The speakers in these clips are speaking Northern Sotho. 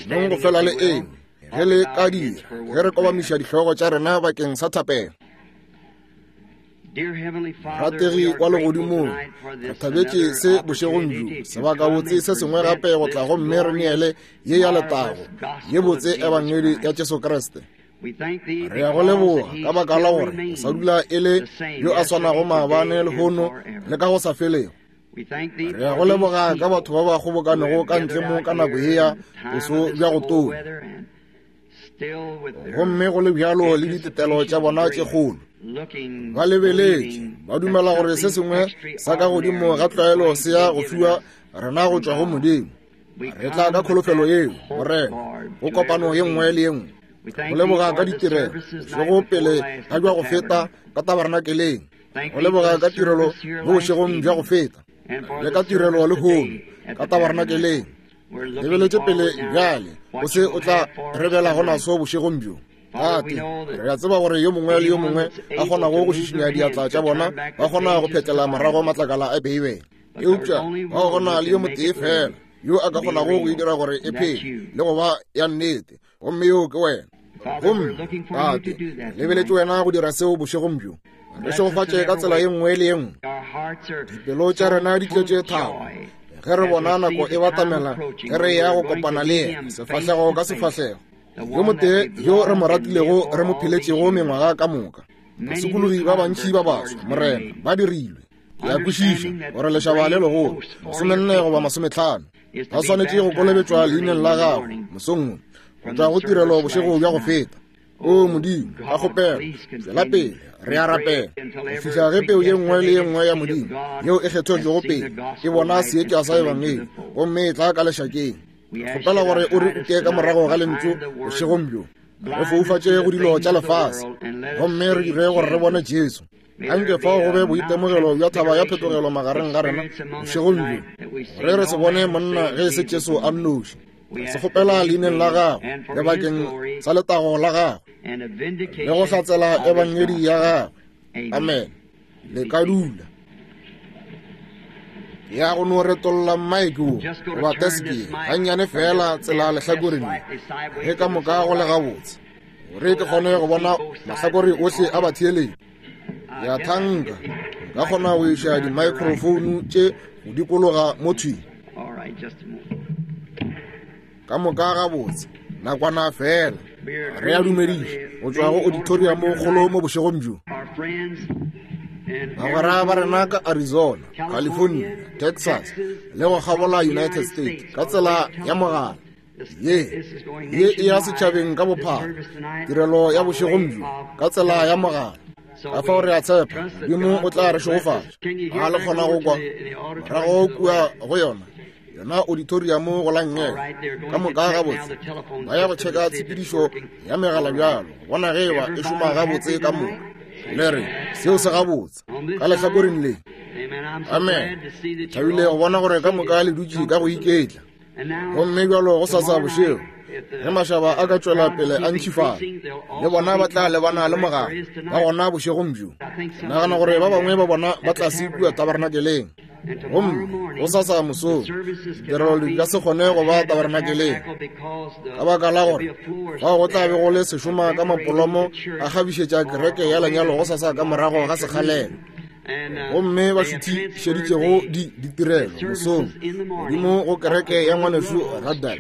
Nong go fela le eme, ge le ka dira, ge re kobamiša dihlogo tša rena bakeng sa thapelo. Rategi wa legodimong, re thabetše se bošegong bjo, sebakabotse se sengwe gape go tla gomme re neele ye ya letago, ye botse Ebangedi ya Jesu Kriste. Re ya go leboga ka baka la gore o sa dula e le yo a swanago maabane, lehono le ka go sa felego. Re ya go leboga ka batho ba ba kgobokanego ka ntle mo ka nako ye ya boso bja go tonya, gomme go le bjalo le ditetelo tša bona tše kgolo. Ba lebeletše, ba dumela gore se sengwe sa ka godimo ga tlwaelo se ya go fiwa rena go tšwa go Modimo. Re tla ka kholofelo yeo, Morena, go kopano ye nngwe le ye nngwe. Go leboga ka ditirelo bošego pele ga bja go feta ka tabernakeleng, go leboga ka tirelo mo bošegong bja go feta le ka tirelo lehono ka tabernakeleng. Lebeletše pele bjale go se o tla re belago naso bošegong bjo. Tate, re a tseba gore yo mongwe le yo mongwe a kgonago go šišinya diatla tša bona ba kgona go phetlela morago matlakala a Beibele, eupša ga go na le yo motee fela yo a ka kgonago go e dira gore e phele le go ba ya nnete, gomme yoo ke wena. Gomme Tate, lebeletše wena go dira seo bošegong bjo. Re šegofatše ka tsela ye nngwe le ye nngwe. Dipelo tša rena di tletše thabo ge re bona nako e batamela ge re ya go kopana le yena sefahlego ka sefahlego, yo motee yo re mo ratilego, re mo pheletšego mengwaga ka moka. Basokologi ba bantši ba baswa, Morena, ba dirilwe. Ke a kwešiša gore lešaba le legolo, 40 goba 50, ba swanetše go kolobetšwa leineng la gago mosong wo, go tšwa go tirelo bošego bja go feta. O Modimo, ka kgopelo, tšwela pele, re a rapela, go fihla ge peu ye nngwe le ye nngwe ya Modimo yeo e kgethetšwego pele e bona seetša sa Ebangedi gomme e tla ka lešakeng. Re kgopela gore o re ute ka morago ga lentšu bošegong bjo, re foufatše go dilo tša lefase gomme re dire gore re bone Jesu. Anke fao go be boitemogelo bja thaba ya phetogelo magareng ga rena bošegong bjo, gore re se bone monna ge e se Jesu a nnoši. Re se kgopela leineng la gagwe le bakeng sa letago la gagwe le go hlatsela ebangedi ya gagwe. Amen. Le ka dula. Ke ya go no retolla mmaeke wo goba teske gannyane fela tsela lehlakoreng le, ge ka moka go le gabotse, gore ke kgone go bona mahlakore ohle a batheeletši. Ke a thanka nka kgona go iša dimaekrofouno tše go dikologa mo thwi. Ka moka gabotse, nakwana fela. Re a dumediša go tšwa go auditorium kgolo mo bošegong bjo. Bagwera ba rena ka Arizona, California, Texas le go kgabola United States ka tsela ya mogala. Ye, ye e ya setšhabeng ka bophara, tirelo ya bošegong bjo ka tsela ya mogala. Ka fao re a tshepa Modimo o tla re šegofatša. A le kgona go kwa morago kua go yona yona auditorium go la nngele ka moka gabotse? Ba ya go tšheka tshepedišo ya megala bjalo go bona ge eba e šoma gabotse ka moka. Le re seo se gabotse ka lehlakoreng le. Amen. Thabile go bona gore ka moka le dutše ka go iketla. Gomme bjalo go sasa bošego ge mašaba a ka tšwela pele a ntšhifala, le bona ba tla lebana le mogala ba gona bošegong bjo. Ke nagana gore ba bangwe ba bona ba tla se kua tabernakeleng. Gomme go sasa mosong ditirelo di ka se kgone go ba tabernakeleng ka baka la gore fao go tla be go le sešoma ka mapolomo a kgabišetša kereke ya lenyalo go sasa ka morago ga sekgalelo. Gomme ba šuthišeditšego di ditirelo mosong godimo go kereke ya ngwanešu Radal,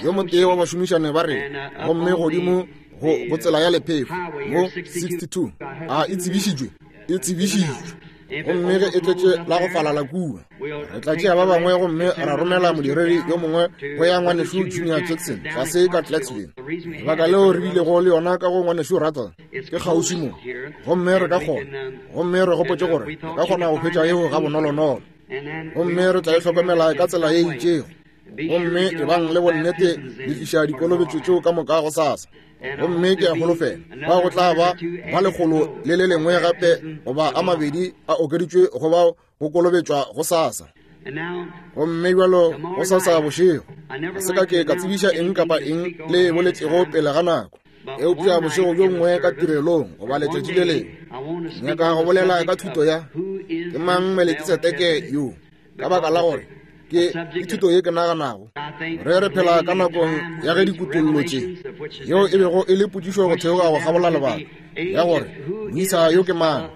yo motee wa bašomišane ba rena, gomme godimo go, go tsela ya lephefo mo 62. A e tsebišitšwe? E tsebišitšwe. Gomme ge e tletše la go falala kua, re tla tšea ba bangwe gomme ra romela modiredi yo mongwe go ya ngwanešu Junior Jackson tlase ka Clarksville. Lebaka leo re bilego le yona ka go ngwanešu Ruddell ke kgauswi mo, gomme re ka kgona, gomme re gopotše gore re ka kgona go hwetša yeo gabonolonolo, gomme re tla e hlokomela ka tsela ye itšego. Gomme ebang le bonnete le tliša dikolobetšo tšeo ka moka go sasa. Gomme ke a holofela ba go tla ba ba lekgolo le le lengwe gape goba a mabedi a okeditšwe go bao go kolobetšwa go sasa. Gomme bjalo go sasa bošego ga se ka ke ka tsebiša eng kapa eng le e boletšego pele ga nako, eupša bošego bjo nngwe ka tirelong goba letšatši le lengwe ke nyaka go bolela ka thuto ya Ke Mang Melkisedeke Yo, ka baka la gore Ke, ke thuto ye ke naganago re re phela ka nakong ya ge dikutollo tše, yeo e bego e le potšišo go theoga go kgabola lebaka, ya gore moisa yo ke mang.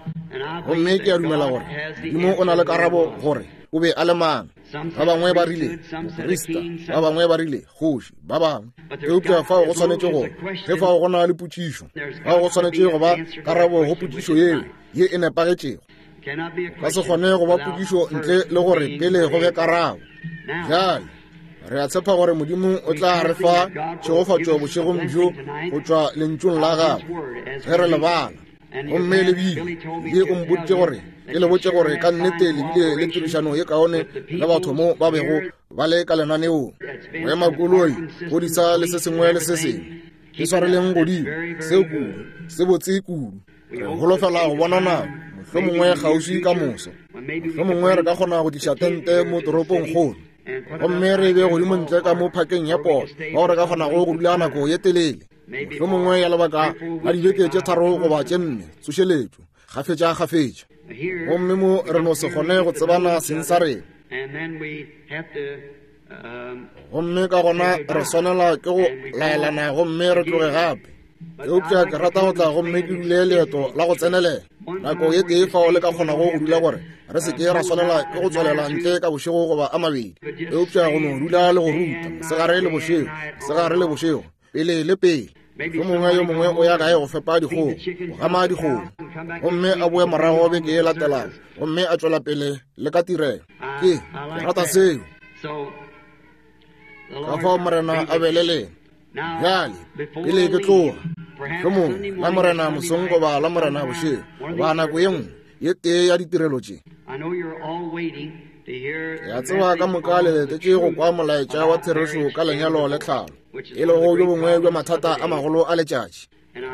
Gomme ke a dumela gore Modimo o na le karabo gore o be a le mang. Ba bangwe ba rile moprista, ba bangwe ba rile kgoši, ba bangwe. Eupša fao go swanetše go, ge fao go na le potšišo, fao go swanetše go ba karabo go potšišo yeo ye e nepagetšego. Ka se kgone go ba potšišo ntle le gore pele go be karabo. Bjale re a tshepa gore Modimo o tla re fa tšhegofatšo bošegong bjo go tšwa lentšung la gagwe ge re le bala. Gomme le bile ye o mpoditše gore ke le botše gore ka nnete le bile le tirišano ye kaone le batho mo ba bego ba le ka lenaneong, go ema koloi, go disa le se sengwe le se sengwe. Ke swareleng godimo seo kudu, se botse kudu. Re holofela go bona nako, mohlomongwe kgauswi ka moso. Mohlomongwe re ka kgona go tliša tente mo toropongkgolo, gomme re be godimo ntle ka mo phakeng ya polo, fao re ka kgonago go dula nako ye telele, mohlomongwe ya lebaka la dibeke tše tharo goba tše nne, tsošeletšo, kgafetša-kgafetša. Gomme mo re no se kgone go tsebana seng sa rena. Gomme ka gona re swanela ke go laelana gomme re tloge gape. Eupša ke rata go tla gomme ke dule leeto la go tsenelela nako ye tee fao le ka kgonago go dula gore re se ke ra swanela ke go tswelela ntle ka bošego goba a mabedi, eupša go no dula le go ruta mosegare le bošego, mosegare le bošego, pele le pele. Mohlomongwe yo mongwe o ya gae go fepa dikgomo, go gama dikgomo, gomme a boe morago beke ye latelago gomme a tšwela pele le ka tirelo. Ke rata seo. Ka fao Morena a be le lena. Bjale, pele ke tloga, mohlomongwe la Morena mosong goba la Morena bošego, goba nako ye nngwe ye tee ya ditirelo tše. Ke a tseba ka moka le letetše go kwa molaetša wa therešo ka lenyalo le tlhalo, e lego bjo bongwe bja mathata a magolo a letšatši.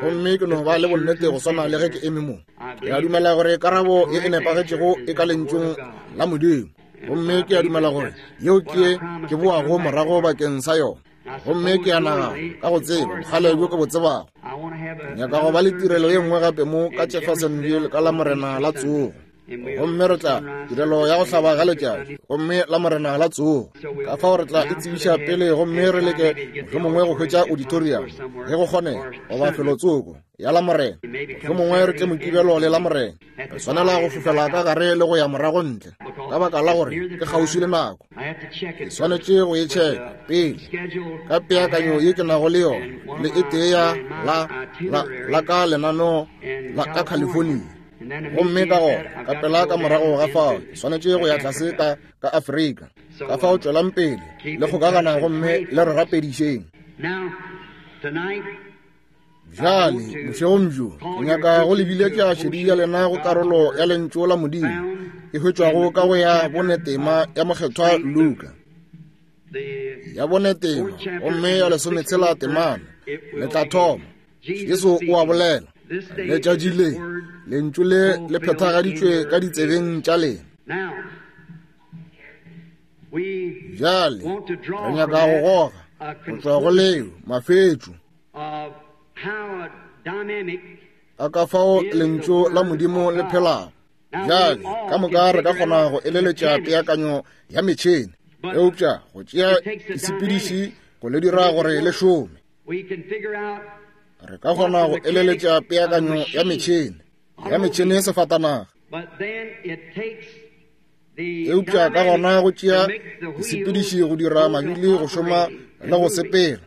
Gomme ke no ba le bonnete go swana le ge ke eme mo. Ke a dumela gore karabo ye e nepagetšego e ka Lentšung la Modimo. Gomme ke a dumela gore yeo ke ye ke boago morago bakeng sa yona. Gomme ke a nagana, ka go tseba bokgale bjo ke bo tsebago, ke nyaka go ba le tirelo ye nngwe gape mo ka Jeffersonville ka Lamorena la Tsogo. Gomme re tla tirelo ya go hlaba ga letšatši, gomme Lamorena la Tsogo. Ka fao re tla e tsebiša pele gomme re leke mohlomongwe go hwetša auditorium ge go kgonega, goba felotsoko ya Lamorena. Mohlomongwe re tle Mokibelo le Lamorena. Re swanela go fofela ka gare le go ya morago ntle, ka baka la gore ke kgauswi le nako. Ke swanetše go e tšheka pele ka peakanyo ye ke nago le yona, le e tee ya la, la, la ka lenaneo la ka California. Gomme ka gona, ka pela ka morago ga fao, ke swanetše go ya tlase ka, ka Afrika. Ka fao tšwelang pele le kgokagana gomme le re rapedišeng. Bjale, bošegong bjo, ke nyaka go le biletša šedi ya lena go karolo ya Lentšu la Modimo e hwetšwago ka go ya bone tema ya Mokgethwa Luka. Ya bone tema, gomme ya lesometshela temana, le tla thoma. Jesu o a bolela, letšatši le, Lentšu le le phethagaditšwe ka ditsebeng tša lena. Bjale, re nyaka go goga go tšwa go leo mafetšo a ka fao Lentšu la Modimo le phelago. Bjale, ka moka re ka kgona go eleletša peakanyo ya metšhene, eupša go tšea disepediši go le dira gore le šome. Re ka kgona go eleletša peakanyo ya metšhene, ya metšhene sefatanaga, eupša ka gona go tšea disepediši go dira mabili go šoma le go sepela.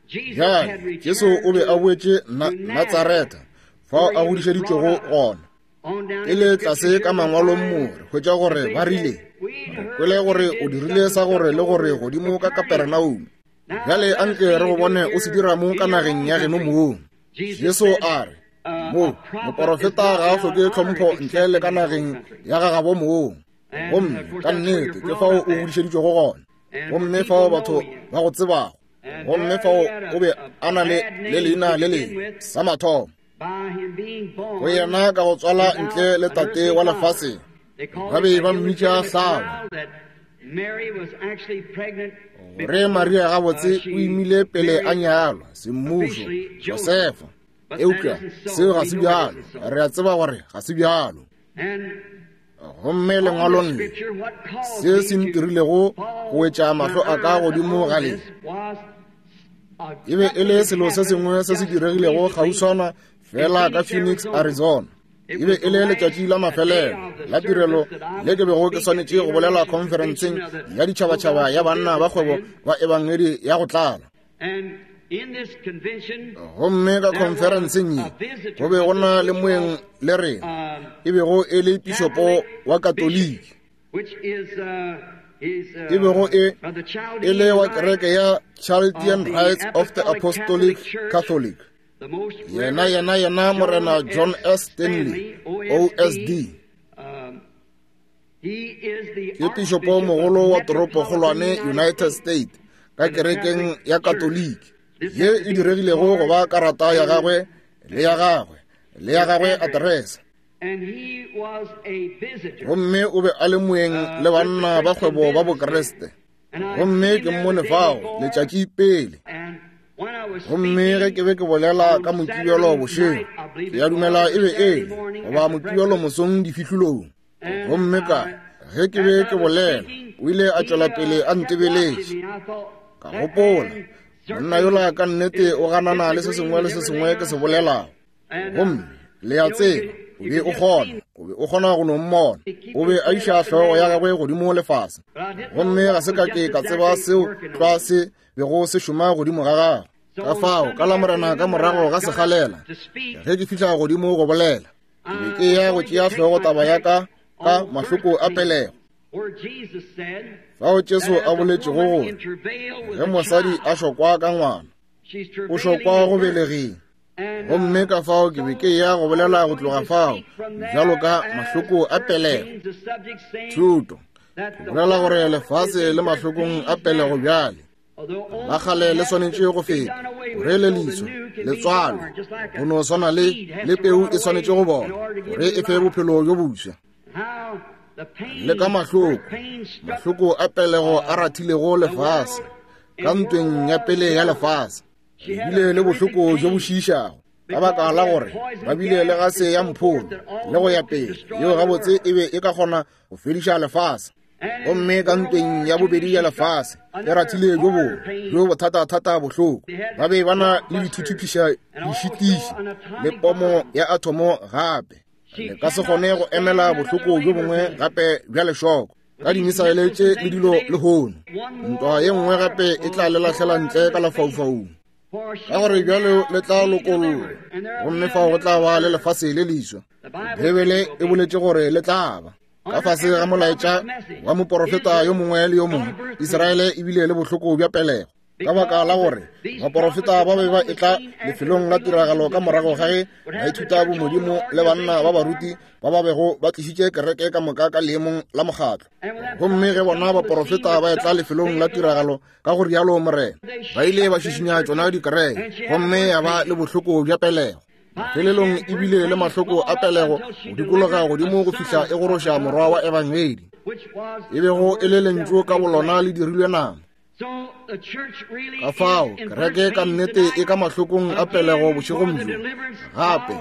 Bjale, Jesu o be a boetše na Natsaretha, fao a godišeditšwego gona. Pele tlase ka mangwalong mo re hwetša gore ba rile, re kwele gore o dirile sa gore le gore godimo ka Kaperenaume. Bjale anke re go bone o se dira mo ka nageng ya geno mong. Jesu a re, mo moporofeta ga a hloke tlhompho ntle le ka nageng ya gagabo mong. Gomme ka nnete ke fao o godišeditšwego gona, gomme fao batho ba go tsebago, gomme fao o be a na le le leina le lengwe sa mathomo go yena ka go tswala ntle le tate wa lefaseng. Ba be ba mmitša hlaba. Gore Maria gabotse o imile pele a nyalwa semmušo Josefa, eupša seo ga se bjalo. Re a tseba gore ga se bjalo. Gomme lengwalong le, se se ntirilego go wetša mahlo a ka godimo ga le, e be e le selo se sengwe se se diregilego kgauswana fela ka Phoenix, Arizona. E be e le letšatši la mafelelo la tirelo le ke bego ke swanetše go bolela khonferenseng ya ditšhabatšhaba ya banna ba kgwebo ba ebangedi ya go tlala. Gomme ka khonferenseng ye go be go na le moeng le rena e bego e le pišopo wa Katoliki, e bego e e le wa kereke ya Chaldean Rites of the Apostolic Catholic. Yena, yena, yena Morena John S. Stanley, OSD. Ke pišopomogolo wa toropokgolwane United States ka kerekeng ya Katoliki, ye e diregilego go ba karata ya gagwe le ya gagwe le ya gagwe aterese. Gomme o be a le moeng le banna ba kgwebo ba Bokriste. Gomme ke mmone fao letšatši pele. Gomme ge ke be ke bolela ka Mokibelo bošego, ke a dumela e be e le goba Mokibelo mosong difihlolong. Gomme ka ge ke be ke bolela, o ile a tšwela pele a ntebeletše. Ka gopola, monna yola ka nnete o ganana le se sengwe le se sengwe ke se bolelago. Gomme le a tseba, o be o kgona, o be o kgona go no mmona. O be a iša hlogo ya gagwe godimo le fase. Gomme ga se ka ke ka tseba seo tlwa se bego se šoma godimo ga gagwe. Ka fao, ka Lamorena ka morago ga sekgalela, ge ke fihla godimo go bolela, ke be ke ya go tšea hlogo taba ya ka ka mahloko a pelego. Fao Jesu a boletšego gore ge mosadi a šokwa ka ngwana, o šokwa go belegeng. Gomme ka fao ke be ke ya go bolela go tloga fao bjalo ka mahloko a pelego. Thuto ke bolela gore lefase le mahlokong a pelego bjale. La kgale le swanetše go feta, gore le leswa le tswalwe, go no swana le le peu e swanetše go bola gore e fe bophelo bjo bofsa. Le ka mahloko, mahloko a pelego a rathilego lefase ka ntweng ya pele ya lefase, le bile le bohloko bjo bo šiišago ka baka la gore ba bile le gase ya mpholo le go ya pele, yeo gabotse e be e ka kgona go fediša lefase. Gomme ka ntweng ya bobedi ya lefase e rathile bjo bongwe bjo bothatathata bohloko. Ba be ba na le dithuthupiša dišitiši le pomo ya athomo gape. Le ka se kgone go emela bohloko bjo bongwe gape bja lešoko ka dimisaele tše le dilo lehono. Ntwa ye nngwe gape e tla le lahlela ntle ka lefaufaung, ka gore bjalo le tla lokollwa, gomme fao go tla ba le lefase le leswa. Beibele e boletše gore le tla ba. Ka fase ga molaetša wa moporofeta yo mongwe le yo mongwe, Israele e bile le bohloko bja pelego, ka baka la gore baporofeta ba be ba etla lefelong la tiragalo ka morago ga ge baithuta bomodimo le banna ba baruti ba ba bego ba tlišitše kereke ka moka ka leemong la mokgatlo. Gomme ge bona baporofeta ba etla lefelong la tiragalo ka go rialo Morena, ba ile ba šišinya tšona dikereke, gomme ya ba le bohloko bja pelego. Mafelelong e bile le mahloko a pelego go dikologa godimo go fihla e goroša morwa wa Ebangedi, e bego e le lentšu ka bolona le dirilwe nama. Ka fao kereke ka nnete e ka mahlokong a pelego bošegong bjo, gape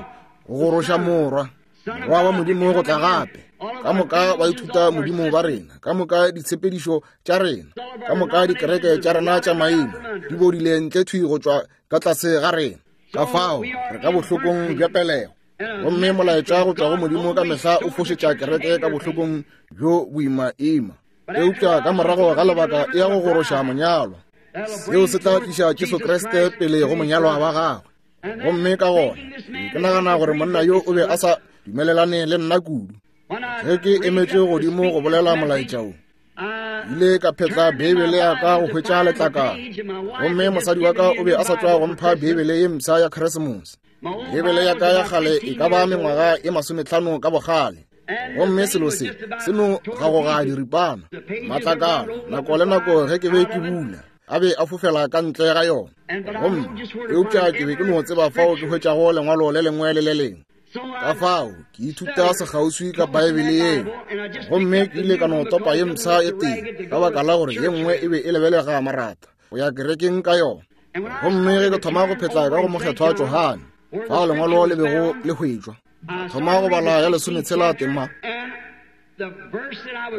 go goroša morwa, morwa wa Modimo go tla gape. Ka moka ba ithuta Modimo ba rena, ka moka ditshepedišo tša rena, ka moka dikereke tša rena tša maina di bodile ntle thwi go tšwa ka tlase ga rena. Ka fao re ka bohlokong bja pelego, gomme molaetša go tšwa go Modimo ka mehla o fošetša kereke ka bohlokong bjo boimaima. Eupša ka morago ga lebaka e ya go goroša monyalwa. Seo se tla tliša Jesu Kriste pele go monyalwa wa gagwe. Gomme ka gona ke nagana gore monna yo o be a sa dumelelane le nna kudu ge ke emetše godimo go bolela molaetša wo. Ile ka phetla Beibele ya ka go hwetša letlakala, gomme mosadi wa ka o be a sa tšwa go mpha Beibele ye mpsha ya Keresemose. Beibele ya ka ya kgale e ka ba mengwaga e masometlhano ka bogale, gomme selo se se no gagoga diripana matlakala nako le nako ge ke be ke bula a be a fofela ka ntle ga yona. Gomme eupša ke be ke no tseba fao ke hwetšago lengwalo le lengwe le le lengwe. Ka fao ke ithuta sekgauswi ka Baebele yeo, gomme ke ile ka no topa ye mpsha e tee ka baka la gore ye nngwe e be e lebelega marata go ya kerekeng ka yona. Gomme ge ke thoma go phetla ka go Mokgethwa Johane, fao lengwalo le bego le hwetšwa, thoma go bala ya lesometshela tema.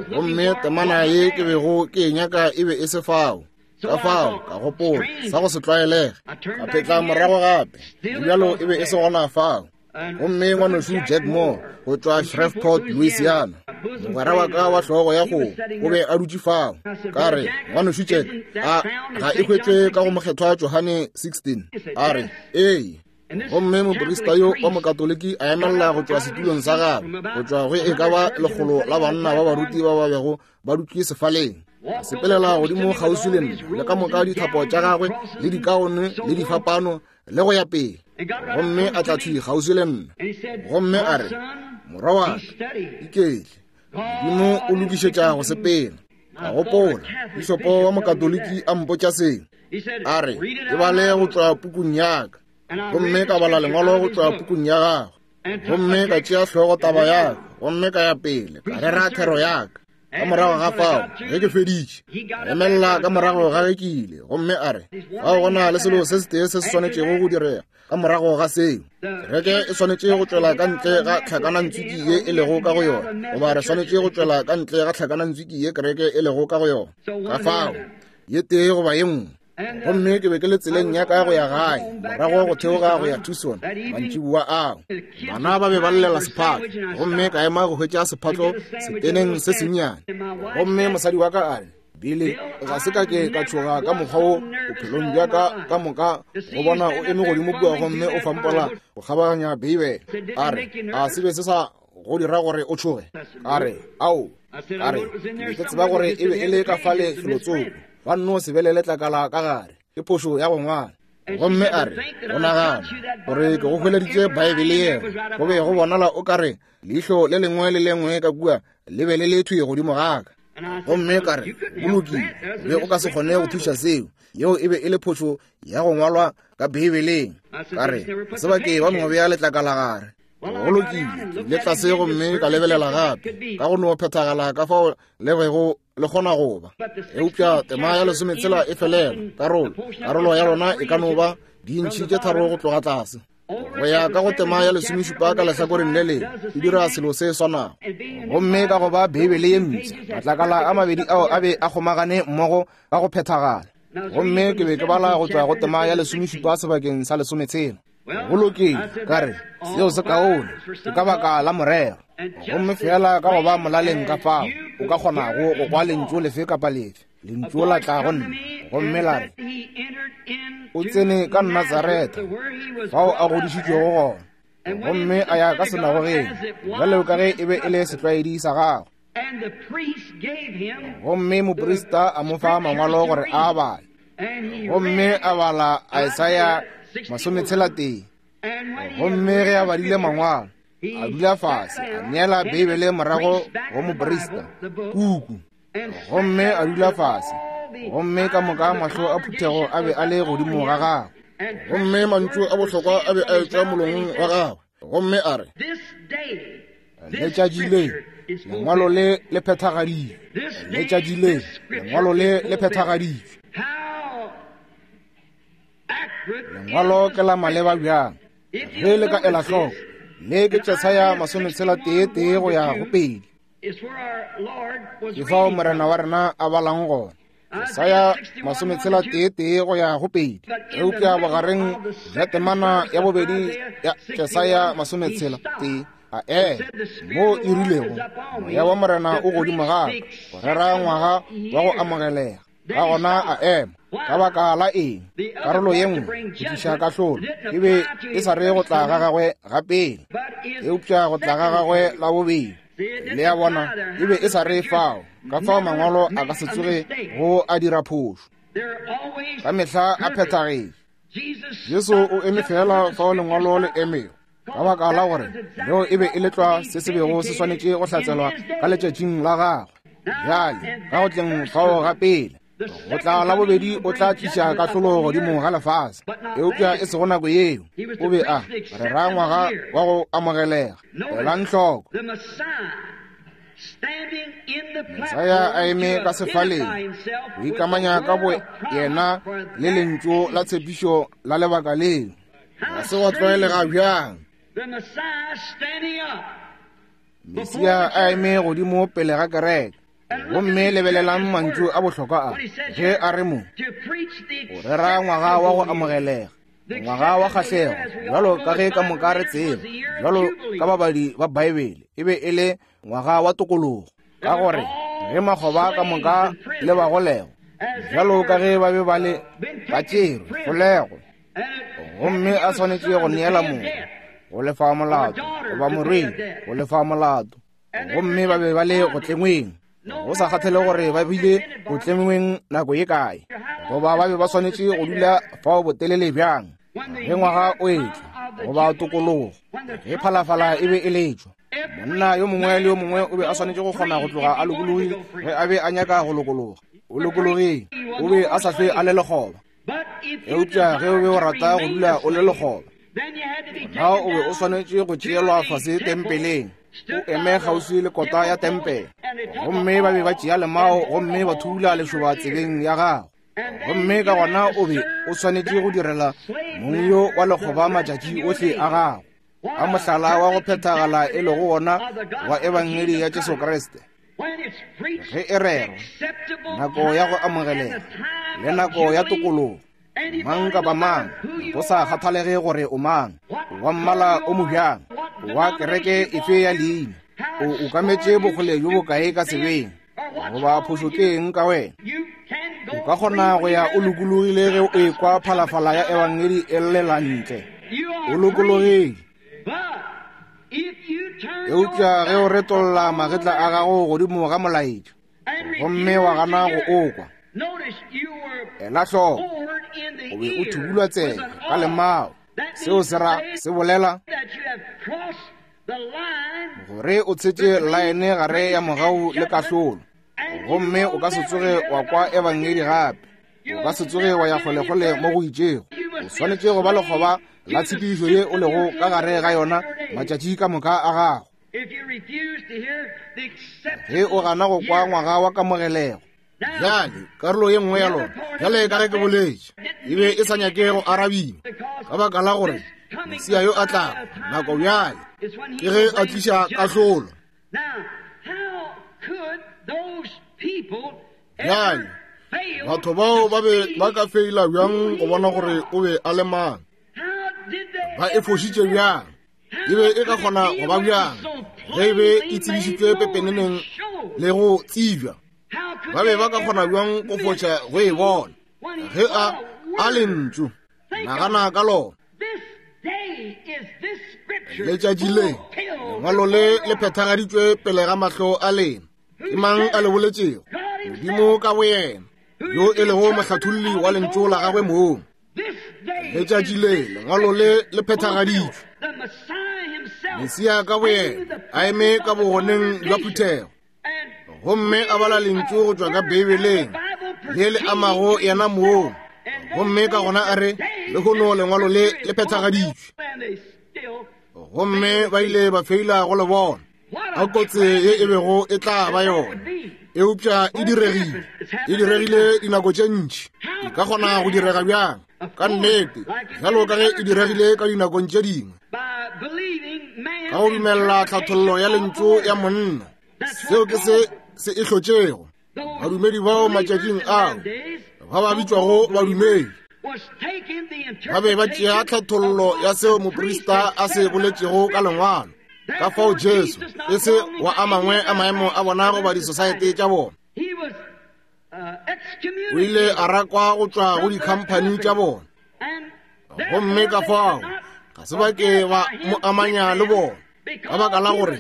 Gomme temana ye ke bego ke e nyaka e be e se fao. Ka fao ka gopola sa go se tlwaelege. Ka phetla morago gape, le bjalo e be e se gona fao. Gomme ngwanešu Jack Moore go tšwa Shreveport, Louisiana, mogwera wa ka wa hlogo ya kgomo, o be a dutše fao. Ka re, Ngwanešu Jack, a ga e hwetšwe ka go Mokgethwa Johane 16? A re, Ee. Gomme moprista yo wa Mokatoliki a emelela go tšwa setulong sa gagwe, go tšwa go e ka ba lekgolo la banna ba baruti ba ba bego ba dutše sefaleng, a sepelela godimo kgauswi le nna, le ka moka dithapo tša gagwe le dikaone le difapano le go ya pele, gomme a tla thwi kgauswi le nna, gomme a re, Morwa wa ka, iketle, Modimo o lokišetša go sepela. Ka gopola, pišopo wa Mokatoliki a mpotša seo. A re, E bale go tšwa pukung ya ka. Gomme ka bala lengwalo go tšwa pukung ya gagwe. Gomme ka tšea hlogo taba ya ka, gomme ka ya pele, ka rera thero ya ka. Ka morago ga fao, ge ke feditše, a emelela ka morago ga ge ke ile, gomme a re, Fao go na le selo se setee se se swanetšego go direga ka morago ga seo. Kereke e swanetše go tšwela ka ntle ga tlhakanantswiki ye e lego ka go yona, goba re swanetše go tšwela ka ntle ga tlhakanantswiki ye kereke e lego ka go yona. Ka fao, ye tee goba ye nngwe. Gomme ke be ke le tseleng ya ka go ya gae, morago go theoga go ya Tucson, mantšiboa ao. Bana ba be ba llela sephatlo, gomme ka ema go hwetša sephatlo seteneng se sennyane. Gomme mosadi wa ka a re, Billy, ga se ka ke ka tšhoga ka mokgwa wo bophelong bja ka ka moka go bona o eme godimo kua gomme o fampola go kgabaganya Beibele. A re, A se be se sa go dira gore o tšhoge? Ka re, Ao. Ka re, Ke be ke tseba gore e be e le ka fale felotsoko. Ba nno se be le letlakala ka gare. Ke phošo ya go ngwala. Gomme a re, O nagana gore ke go hweleditše Baebele yela? Go be go bonala o ka re leihlo le lengwe le lengwe ka kua le be le le thwi godimo ga ka. Gomme ka re, Go lokile, o be o ka se kgone go thuša seo. Yeo e be e le phošo ya go ngwalwa ka Beibeleng. Ka re, Se ba ke ba no bea letlakala gare. Go lokile, ke ile tlase gomme ka lebelela gape, ka go no phethagala ka fao le bego le kgona go ba. Eupša tema ya lesometshela e felela, karolo, karolo ya lona e ka no ba diintšhi tše tharo go tloga tlase. Go ya ka go tema ya lesomešupa ka lehlakoreng le lengwe, e dira selo se swanago. Gomme ka go ba Beibele ye mpsha, matlakala a mabedi ao a be a kgomagane mmogo ka go phethagala. Gomme ke be ke bala go tšwa go tema ya lesomešupa sebakeng sa lesometshela. Go lokile, ka re, seo se kaone, ke ka baka la morero. Gomme feela ka go ba molaleng ka fao o ka kgonago go kwa lentšu lefe kapa lefe, lentšu la tla go nna, gomme la re, O tsene ka Natsaretha, fao a godišitšwego gona, gomme a ya ka senagogeng, bjalo ka ge e be e le setlwaedi sa gagwe. Gomme moprista a mo fa mangwalo gore a bale. Gomme a bala Isaya 63. Gomme ge a badile mangwalo, a dula fase, a neela Beibele morago go moprista, puku. Gomme a dula fase, gomme ka moka mahlo a phuthego a be a le godimo ga gagwe. Gomme mantšu a bohlokwa a be a etšwa molomong wa gagwe. Gomme a re, Letšatši le, lengwalo le le phethagaditšwe. Letšatši le, lengwalo le le phethagaditšwe. Lengwalo ke la maleba bjang? Ge le ka ela hloko, le ke Jesaya masometshela tee tee go ya go pedi. Ke fao Morena wa rena a balang gona. Jesaya masometshela tee tee go ya go pedi. Eupša bogareng bja temana ya bobedi ya Jesaya masometshela tee a ema moo e rilego, Moya wa Morena o godimo ga ka, go rera ngwaga wa go amogelega. Ka gona a ema. Ka baka la eng? Karolo ye nngwe, go tliša kahlolo, e be e sa re go tla ga gagwe ga pele, eupša go tla ga gagwe la bobedi. Le a bona, e be e sa re fao, ka fao mangwalo a ka se tsoge go a dira phošo. Ka mehla a phethagetše. Jesu o eme feela fao lengwalo le emego, ka baka la gore leo e be e le tlwa se se bego se swanetše go hlatselwa ka letšatšing la gagwe. Bjale, ka go tleng fao ga pele, go tla la bobedi o tla tliša kahlolo godimo ga lefase, eupša e sego nako yeo. O be a rera ngwaga wa go amogelega. Elang hloko. Mesia a eme ka sefaleng, go ikamanya ka bo yena le lentšu la tshepišo la lebaka leo. Ga se wa tlwaelega bjang? Mesia a eme godimo pele ga kereke. Gomme lebelelang mantšu a bohlokwa a, ge a re mo, go rera ngwaga wa go amogelega, ngwaga wa kgahlego, bjalo ka ge ka moka re tseba, bjalo ka babadi ba Baebele, e be e le ngwaga wa tokologo, ka gore ge makgoba ka moka le bagolego, bjalo ka ge ba be ba le ba tšerwe kgolego, gomme a swanetše go neela motho go lefa molato, goba morwedi go lefa molato, gomme ba be ba le go tlengweng, go sa kgathale gore ba bile go tlengweng nako ye kae, goba ba be ba swanetše go dula fao botelele bjang, ge ngwaga o etla goba tokologo, ge phalafala e be e letšwa, monna yo mongwe le yo mongwe o be a swanetše go kgona go tloga a lokologile ge a be a nyaka go lokologa. O lokologile, o be a sa hlwe a le lekgoba. Eupša ge o be o rata go dula o le lekgoba, gona o be o swanetše go tšeelwa fase tempeleng, o eme kgauswi le kota ya tempele, gomme ba be ba tšea lemao gomme ba thula lešoba tsebeng ya gago, gomme ka gona o be o swanetše go direla mong yo wa lekgoba matšatši ohle a gago. A mohlala wa go phethagala e lego wona wa Ebangedi ya Jesu Kriste! Ge e rerwa, nako ya go amogelega le nako ya tokologo, mang kapa mang, go sa kgathalege gore o mang, wa mmala o mobjang, wa kereke efe ya leina, o ukametše bokgole bjo bokae ka sebeng, goba phošo ke eng ka wena, o ka kgona go ya o lokologile ge o ekwa phalafala ya Ebangedi e llela ntle. O lokologile. Eupša ge o retolla magetla a gago godimo ga molaetša gomme wa gana go o kwa, ela hloko, o be o thubulwa tsebe ka lemao. Seo se ra se bolela gore o tshetše laene gare ya mogau le kahlolo, gomme o ka se tsoge wa kwa Ebangedi gape. O ka se tsoge wa ya kgolekgole mo go itšego. O swanetše go ba lekgoba la tshepedišo ye o lego ka gare ga yona matšatši ka moka a gago. Ge o gana go kwa ngwaga wa kamogelego. Bjale, karolo ye nngwe ya lona, bjale ka ge ke boletše, e be e sa nyake go arabiwa, ka baka la gore Mesia yo a tlago nako bjale ke ge a tliša kahlolo. Bjale, batho bao ba be ba ka feila bjang go bona gore o be a le mang? Ba e fošitše bjang? E be e ka kgona go ba bjang ge e be e tsebišitšwe pepeneneng le go tsebja? Ba be ba ka kgona bjang go foša go e bona ge a a lentšu? Nagana ka lona. Letšatši le, lengwalo le le phethagaditšwe pele ga mahlo a lena. Ke mang a le boletšego? Modimo ka boyena, yo e lego mohlatholli wa lentšu la gagwe mong. Letšatši le, lengwalo le le phethagaditšwe. Mesia ka boyena a eme ka bogoneng bja phuthego gomme a bala lentšu go tšwa ka Beibeleng le le amago yena mong, gomme ka gona a re, Lehono lengwalo le le phethagaditšwe. Gomme ba ile ba feila go le bona. A kotse ye e bego e tla ba yona, eupša e diregile. E diregile dinako tše ntši. E ka kgona go direga bjang? Ka nnete, bjalo ka ge e diregile ka dinakong tše dingwe, ka go dumelela tlhathollo ya lentšu ya monna. Seo ke se se e hlotšego. Badumedi bao matšatšing ao ba ba bitšwago badumedi ba be ba tšea tlhathollo ya seo moprista a se boletšego ka lengwalo. Ka fao Jesu e se wa a mangwe a maemo a bona goba disosaete tša bona. O ile a rakwa go tšwa go dikhamphani tša bona, gomme ka fao ga se ba ke ba mo amanya le bona ka baka la gore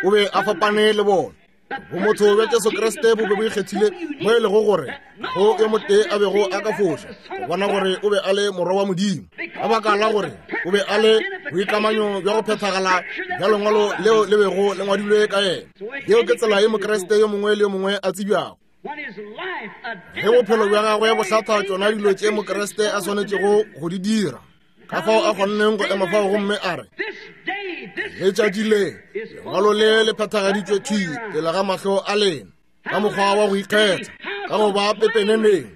o be a fapane le bona. Bomotho bja Jesu Kriste bo be bo ikgethile mo e lego gore go yo motee a bego a ka foša go bona gore o be a le morwa wa Modimo, ka baka la gore o be a le boikamanyo bja go phethagala bja lengwalo leo le bego le ngwadilwe ka yena. Yeo ke tsela ye Mokriste yo mongwe le yo mongwe a tsebjago. Ge bophelo bja gagwe bo hlatha tšona dilo tše Mokriste a swanetšego go di dira, ka fao a kgonneng go ema fao gomme a re, Letšatši le, lengwalo le le phethagaditšwe thwi pele ga mahlo a lena, ka mokgwa wa go ikgetha, ka go ba pepeneneng.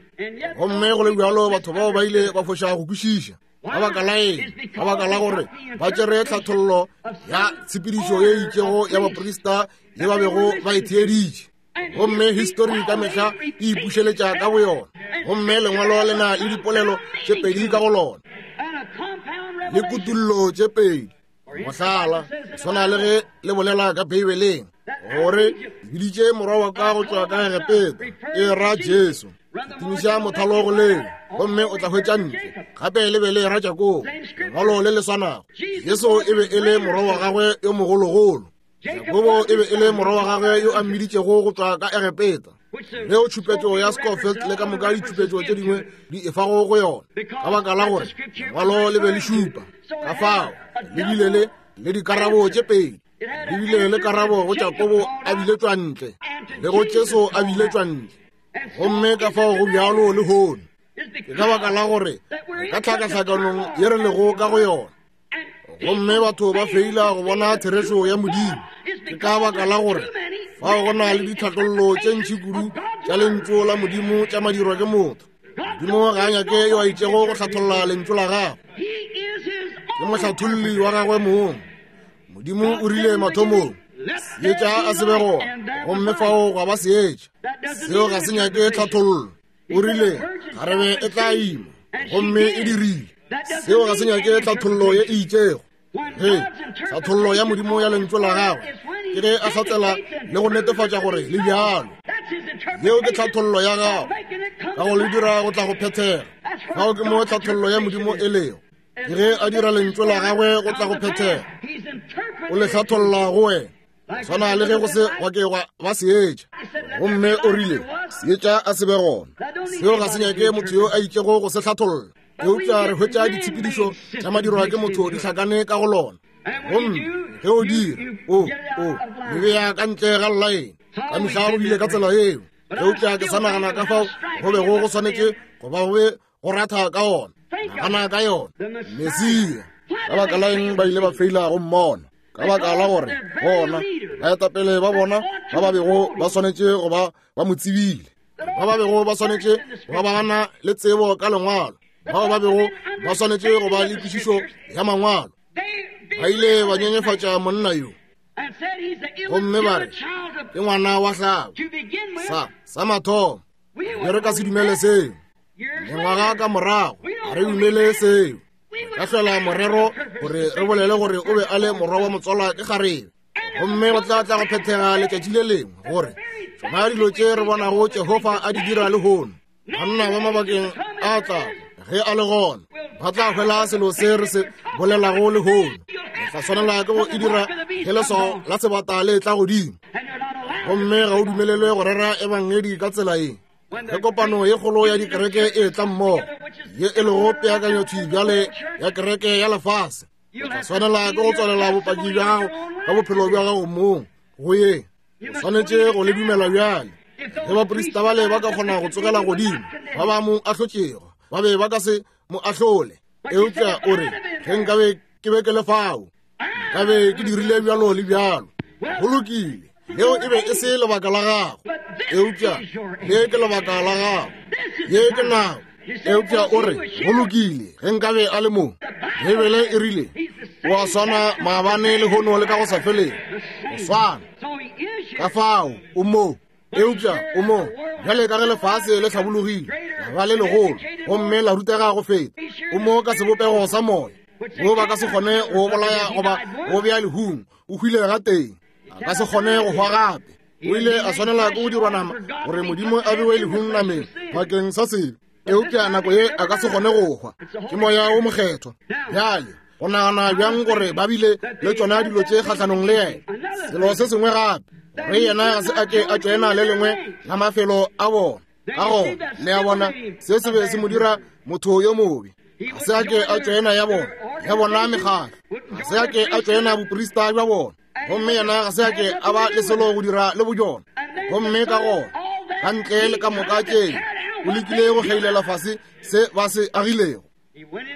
Gomme go le bjalo batho bao ba ile ba foša go kwešiša. Ka baka la eng? Ka baka la gore ba tšere tlhathollo ya tshepedišo ye itšego ya baprista ye ba bego ba e theeditše. Gomme histori ka mehla e ipušeletša ka boyona. Gomme lengwalo le na le dipolelo tše pedi ka go lona, le kutullo tše pedi. Mohlala, swana le ge le bolela ka Beibeleng gore biditše morwa wa ka go tšwa ka Egepeta, e ra Jesu. Tumiša mothalo go leo gomme o tla hwetša ntle. Gape le be le ra Jakobo, lengwalo le le swanago. Jesu e be e le morwa wa gagwe yo mogologolo. Jakobo e be e le morwa wa gagwe yo a mmiditšego go tšwa ka Egepeta. Leo tšhupetšo ya Scofield le ka moka ditšhupetšo tše dingwe di efago go yona, ka baka la gore lengwalo le be le šupa. Ka fao le bile le le dikarabo tše pedi. Le bile le karabo go Jakobo a biletšwa ntle, le go Jesu a biletšwa ntle. Gomme ka fao go bjalo lehono. Ke ka baka la gore ka tlhakatlhakanong ye re lego ka go yona, gomme batho ba feila go bona therešo ya Modimo. Ke ka baka la gore fao go na le ditlhathollo tše ntši kudu tša lentšu la Modimo tša madirwa ke motho. Modimo ga a nyake yo a itšego go hlatholla lentšu la gagwe. Ke mohlatholli wa gagwe mong. Modimo o rile mathomong, seetša a se be gona, gomme fao gwa ba seetša. Seo ga se nyake tlhathollo. O rile kgarebe e tla ima, gomme e dirile. Seo ga se nyake tlhathollo ye e itšego. Ge tlhathollo ya Modimo ya lentšu la gagwe ke ge a hlatsela le go netefatša gore le bjalo. Yeo ke tlhathollo ya gagwe ka go le dira go tla go phethega. Fao ke mo tlhathollo ya Modimo e lego. Ke ge a dira lentšu la gagwe go tla go phethega. O le hlatholla go wena. Swana le ge go se gwa ke gwa ba seetša, gomme o rile seetša a se be gona. Seo ga se nyake motho yo a itšego go se hlatholla, eupša re hwetša ditshepedišo tša madirwa ke motho di hlakane ka go lona. Gomme ge o dira, o o le bea ka ntle ga llaene. Ka mehla go bile ka tsela yeo, eupša ke sa nagana ka fao go bego go swanetše go ba go be go ratha ka ona. Nagana ka yona, Mesia. Ka baka la eng ba ile ba feila go mmona? Ka baka la gore bona baetapele ba bona ba ba bego ba swanetše go ba ba mo tsebile, ba ba bego ba swanetše go ba ba na le tsebo ka lengwalo, bao ba bego ba swanetše go ba le kwešišo ya mangwalo, ba ile ba nyenyefatša monna yo gomme ba re ke ngwana wa hlabo. Sa sa mathomo, be re ka se dumele seo. Mengwaga ka morago, ga re dumele seo. Ka hlola morero gore re bolele gore o be a le morwa wa motswalwa ke kgarebe, gomme go tla tla go phethega letšatši le lengwe gore tšona dilo tše re bonago Jehofa a di dira lehono, banna ba mabakeng a tlago ge a le gona ba tla hwela selo se re se bolelago lehono. Re tla swanela ke go e dira ge leswao la sebata le tla godimo, gomme ga o dumelelwe go rera ebangedi ka tsela ye. Ge kopano ye kgolo ya dikereke e tla mmogo, ye e lego peakanyothwi bjale ya kereke ya lefase, o tla swanela ke go tswalela bopaki bja gago ka bophelo bja gago mong go ye. O swanetše go le dumela bjale. Ge baprista bale ba ka kgona go tsogela godimo, ba ba mo ahlotšego ba be ba ka se mo ahlole. Eupša o re, ge nkabe ke be ke le fao, nkabe ke dirile bjalo le bjalo. Go lokile, leo e be e se lebaka la gago, eupša le ke lebaka la gago. Ye ke nako. Eupša o re, go lokile, ge nkabe a le mo. Beibele e rile, o a swana maabane lehono le ka go sa feleng. O swana. Ka fao, o mo. Eupša o mo bjale ka ge lefase le hlabologile, la ba le legolo, gomme la rutega go feta. O mo ka sebopego sa moya, wo ba ka se kgone go bolaya goba go bea lehung. O hwile gatee, a ka se kgone go hwa gape. O ile a swanela ke go dirwa nama gore Modimo a bewe lehung nameng bakeng sa sebe. Eupša nako ye a ka se kgone go hwa. Ke Moya wo Mokgethwa. Bjale go nagana bjang gore ba bile le tšona dilo tše kgahlanong le yena. Selo se sengwe gape, gore yena ga se a ke a tšoena le lengwe la mafelo a bona. Ka gona, le a bona, se se be se mo dira motho yo mobe. Ga se a ke a tšoena ya bona, ya bona mekgatlo. Ga se a ke a tšoena boprista bja bona. Gomme yena ga se a ke a ba le selo go dira le bojona. Gomme ka gona, ka ntle le ka moka tšeo, o lekile go kgeilela fase se ba se agilego.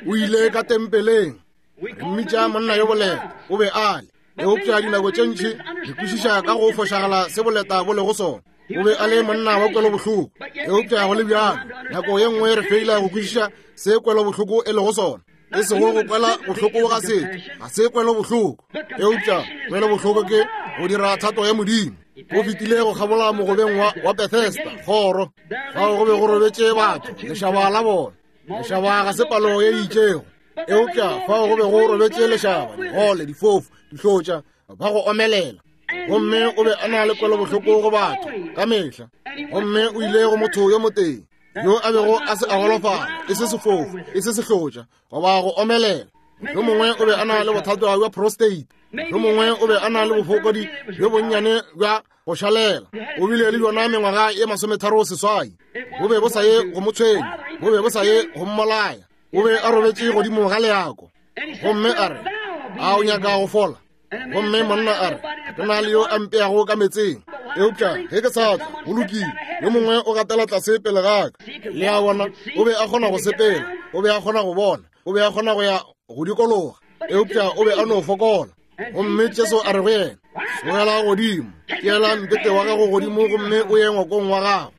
O ile ka tempeleng, re mmitša monna yo boleta, o be a le. Eupša dinako tše ntši re kwešiša ka go fošagala se boleta bo lego sona. O be a le monna wa kwelobohloko, eupša go le bjalo nako ye nngwe re feila go kwešiša se kwelobohloko e lego sona. E sego go kwela bohloko ga setho, ga se kwelo bohloko, eupša kwelo bohloko ke go dira thato ya Modimo. O fetile go kgabola mogobeng wa, wa Bethesda, kgoro, fao go be go robetše batho, lešaba la bona. Lešaba ga se palo ye e itšego, eupša fao go be go robetše lešaba, digole, difofu, dihlotša, ba go omelela. Gomme o be a na le kwelo bohloko go batho ka mehla. Gomme o ile go motho yo motee yo a bego a se a golofala, e se sefofu, e se sehlotša, goba go omelela. Yo mongwe o be a na le bothata bja prostate, yo mongwe o be a na le bofokodi bjo bonnyane bja go šalela. O bile le bjona mengwaga ye 36. Bo be bo sa ye go mo tshwenya, bo be bo sa ye go mmolaya. O be a robetše godimo ga leako. Gomme a re, A o nyaka go fola? Gomme monna a re, Ke na le yo a mpeago ka metseng, eupša ge ke sa tla, go lokile, yo mongwe o gatela tlase pele ga ka. Le a bona, o be a kgona go sepela, o be a kgona go bona, o be a kgona go ya go dikologa, eupša o be a no fokola. Gomme Jesu a re go yena, Tsogela godimo, tšeela mpete wa gago godimo gomme o ye ngwakong wa gago.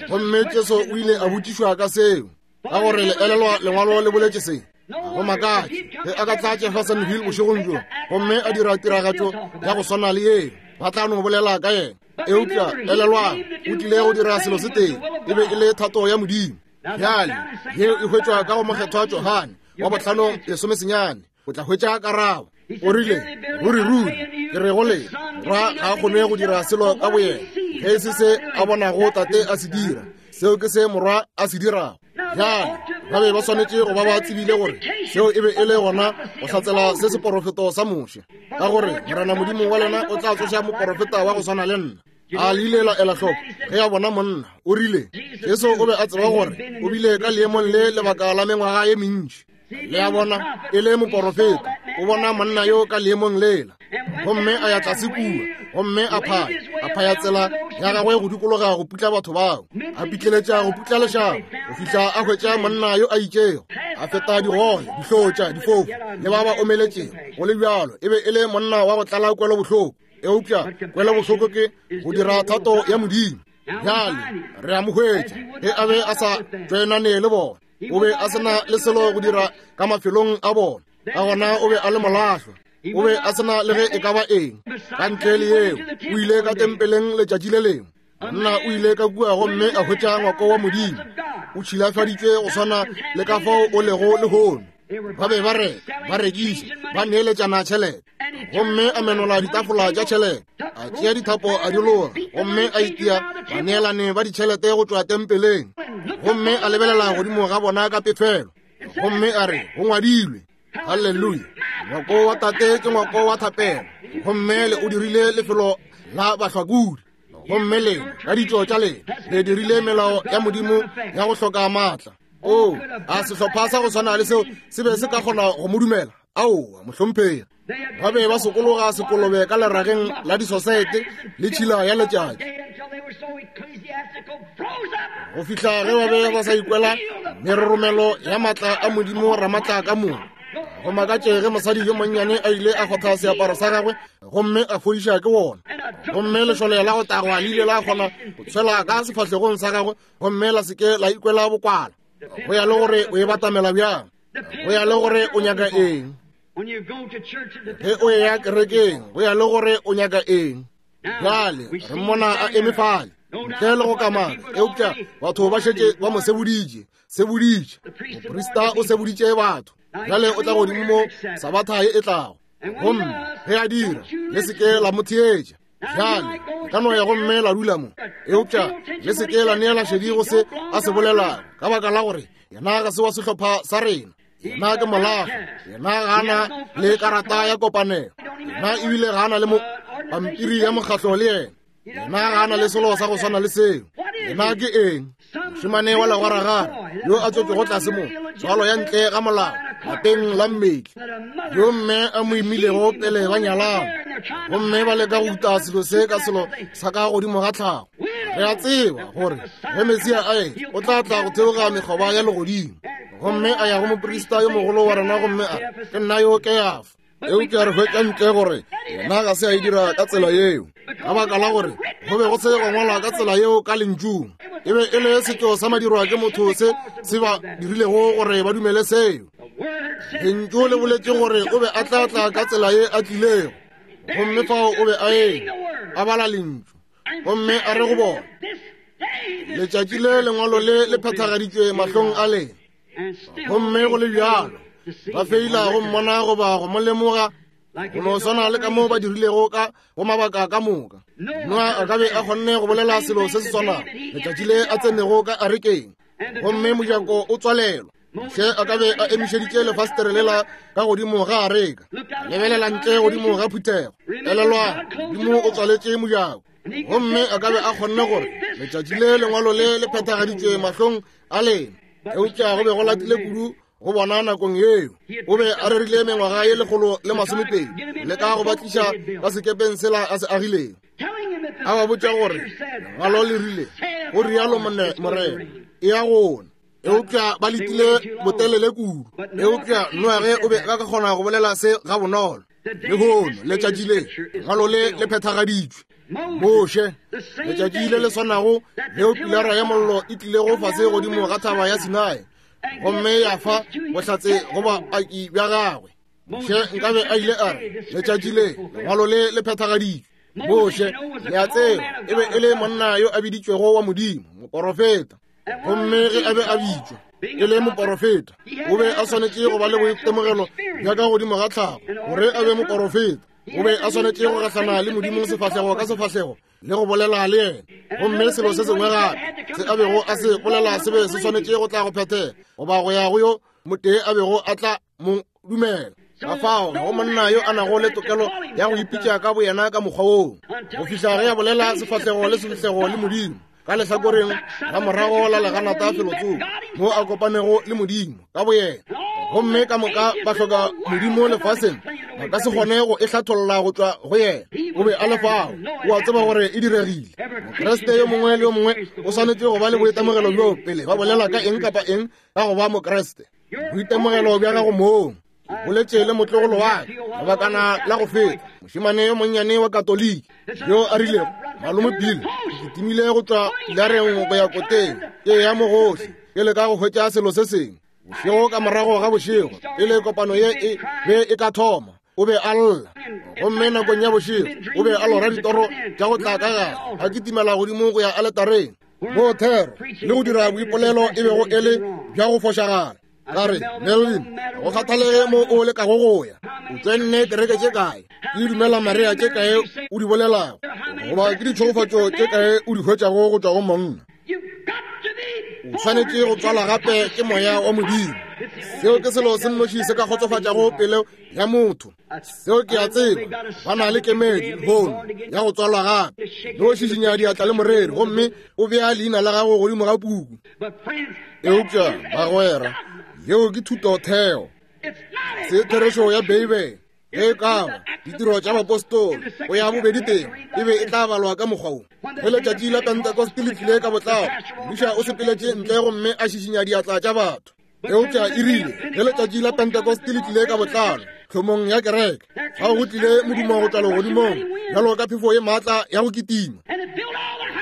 Gomme Jesu o ile a botšišwa ka seo, ka gore le elelwa lengwalo le boletše se. Go makatše ge a ka tla Jeffersonville bošegong bjo gomme a dira tiragatšo ya go swana le yeo, ba tla no bolela ka yena. Eupša elelwang, o tlile go dira selo se tee, e be e le thato ya Modimo. Bjale yeo e hwetšwa ka go Mokgethwa Johane wa 5:19. O tla hwetša karabo. O rile, Ruri, ruri, ke re go lena, Morwa ga a kgone go dira selo ka boyena, ge e se se a bonago Tate a se dira, seo ke se Morwa a se dirago. Bjale, ba be ba swanetše go ba ba tsebile gore seo e be e le gona go hlatsela se seporofeto sa Moshe, ka gore Morena Modimo wa lena o tla tsoša moporofeta wa go swana le nna. A le ile la ela hloko ge a bona monna? O rile, Jesu o be a tseba gore o bile ka leemong le lebaka la mengwaga ye mentši. Le a bona, e le moporofeta, o bona monna yo ka leemong lela. Gomme a ya tlase kua, gomme a phaya, a phaya tsela ya gagwe go dikologa go putla batho bao, a pitleletša go putla lešaba, go fihla a hwetša monna yo a itšego, a feta digole, dihlotša, difofu, le ba ba omeletšego. Go le bjalo, e be e le monna wa go tlala kwelobohloko. Eupša kwelobohloko ke go dira thato ya Modimo. Bjale re a mo hwetša ge a be a sa tšoenane le bona. O be a se na le selo go dira ka mafelong a bona, ka gona o be a le molahlwa. O be a se na le ge e ka ba eng ka ntle le yeo. O ile ka tempeleng letšatši le lengwe. Monna o ile ka kua gomme a hwetša ngwako wa Modimo o tšhilafaditšwe go swana le ka fao o lego lehono. Ba be ba reka, ba rekiša, ba neeletšana tšhelete. Gomme a menola ditafola tša tšhelete, a tšea dithapo a di loga, gomme a itia baneelane ba ditšhelete go tšwa tempeleng. Gomme a lebelela godimo ga bona ka pefelo, gomme a re, Go ngwadilwe. Halleluja! Ngwako wa Tate ke ngwako wa thapelo, gomme le o dirile lefelo la bahlakodi. Gomme lena, ka ditšo tša lena, le dirile melao ya Modimo ya go hloka maatla. Oo, a sehlopha sa go swana le seo se be se ka kgona go mo dumela? Aowa, mohlomphegi. Ba be ba sokologa sekolobe ka lerageng la disosaete le tšhila ya letšatši, go fihla ge ba be ba sa ikwela meroromelo ya maatla a Modimo Ramatla ka moka. Go makatše ge mosadi yo monnyane a ile a kgotha seaparo sa gagwe gomme a fodiša ke wona, gomme lešole la go tagwa le ile la kgona go tshwela ka sefahlegong sa gagwe gomme la se ke la ikwela bokwala. Go ya le gore o e batamela bjang, go ya le gore o nyaka eng. Ge o eya kerekeng, go ya le gore o nyaka eng. Bjale re mmona a eme fale ntle le go kamaka, eupša batho ba šetše ba mo seboditše, seboditše. Moprista o seboditše batho. Bjale o tla godimo mo Sabatha ye e tlago, gomme ge a dira, le se ke la mo theetša. Bjale le ka no ya gomme la dula mo, eupša le se ke la neela šedi go se a se bolelago, ka baka la gore yena ga se wa sehlopha sa rena. Yena ke molahlwa, yena ga a na le karata ya kopanelo, yena ebile ga a na le mo pampiri ya mokgatlo le yena. Yena ga a na le selo sa go swana le seo. Yena ke eng? Mošemane wa legwaragare yo a tswetšwego tlase mo, tswalo ya ntle ga molao, lapeng la mmetli, yo mme a mo imilego pele ba nyalana, gomme ba leka go uta selo se ka selo sa ka godimo ga tlhago. Re a tseba gore ge Mesia a etla, o tla tla go theoga mekgoba ya legodimo. Gomme a ya go moprista yo mogolo wa rena gomme a re, Ke nna yo Keafa. Eupša re hwetša ntle gore yena ga se a e dira ka tsela yeo, ka baka la gore go be go se go ngwalwa ka tsela yeo ka lentšung. E be e le setšo sa madirwa ke motho se se ba dirilego gore ba dumele seo. Lentšu le boletše gore o be a tla tla ka tsela ye a tlilego. Gomme fao o be a eme, a bala Lentšu, gomme a re go bona, Letšatši le lengwalo le le phethagaditšwe mahlong a lena. Gomme go le bjalo, ba feila go mmona goba go mo lemoga, go no swana le ka mo ba dirilego ka go mabaka ka moka. Noa a ka be a kgonne go bolela selo se se swanago letšatši le a tsenego ka arekeng, gomme mojako o tswalelwa. Moshe a ka be a emišeditše lefastere lela ka godimo ga areka, lebelela ntle godimo ga phuthego. Elelwa, Modimo o tswaletše mojako, gomme a ka be a kgonne gore letšatši le lengwalo le le phethagaditšwe mahlong a lena, eupša go be go latile kudu go bona nakong yeo. O be a rerile mengwaga ye 120 le ka go ba tliša ka sekepeng sela a se agilego, a ba botša gore lengwalo le rile go rialo Morena, e ya gona. Eupša ba letile botelele kudu. Eupša Noage o be a ka kgona go bolela se gabonolo. Lehono letšatši le lengwalo le le phethagaditšwe. Moshe, letšatši le le swanago leo pilara ya mollo e tlilego fase godimo ga thaba ya Sinai gomme ya fa bohlatse go baaki bja gagwe. Moshe nkabe a ile a re, letšatši le lengwalo le le phethagaditšwe. Moshe, le a tseba, e be e le monna yo a biditšwego wa Modimo, moporofeta. Gomme ge a be a bitšwa e le moporofeta, o be a swanetše go ba le boitemogelo bja ka godimo ga tlhago gore a be moporofeta. O be a swanetše go gahlana le Modimo sefahlego ka sefahlego le go bolela le yena. Gomme selo se sengwe gape se a bego a se bolela se be se swanetše go tla go phethega, goba go ya go yo motee a bego a tla mo dumela. Ka fao ga go monna yo a nago le tokelo ya go ipitša ka boyena ka mokgwa woo, go fihla ge a bolela sefahlego le sefahlego le Modimo ka lehlakoreng la morago la leganata felotsoko mo a kopanego le Modimo ka boyena. Gomme ka moka ba hloka Modimo lefaseng ba ka se kgone go e hlatholla go tšwa go yena. O be a le fao, o a tseba gore e diregile. Mokriste yo mongwe le yo mongwe o swanetše go ba le boitemogelo bjo pele ba bolela ka eng kapa eng ka go ba Mokriste. Boitemogelo bja gago mong. Boletše le motlogolo wa ka lebakana la go feta, mošemane yo monnyane wa Katoliki yo a rilego, Malome Bill, ke kitimile go tšwa pilareng go ya koteng, ke ya mogohle ke leka go hwetša selo se sengwe. Bošego ka morago ga bošego, pele kopano ye e be e ka thoma, o be a lla. Gomme nakong ya bošego o be a lora ditoro tša go tla ka gare, a kitimela godimo go ya aletareng moo thero le go dira boipolelo e bego e le bja go fošagala. Ka re, Melvin, go kgathalege mo o lekago go ya, o tswenne kereke tše kae, ke dumela Maria tše kae o di bolelago, goba ke ditšhegofatšo tše kae o di hwetšago go tšwa go monna. O swanetše go tswalwa gape ke Moya wa Modimo. Seo ke selo se nnoši se ka kgotsofatšago pelo ya motho. Seo ke a tseba, ba na le kemedi lehono ya go tswalwa gape. No šišinya diatla le moreri gomme o bea leina la gago godimo ga puku. Eupša bagwera, yeo ke thutotheo, se therešo ya Beibele. Ge e ka ba ditiro tša bapostolo go ya bobedi teng e be e tla balwa ka mokgwa wo. Ge letšatši la Pentekoste le tlile ka botlalo, mmuša o sepeletše ntle gomme a šišinya diatla tša batho. Eupša e rile ge letšatši la Pentekoste le tlile ka botlalo tlhomong ya kereke, fao go tlile modumo go tšwa legodimong bjalo ka phefo ye maatla ya go kitima,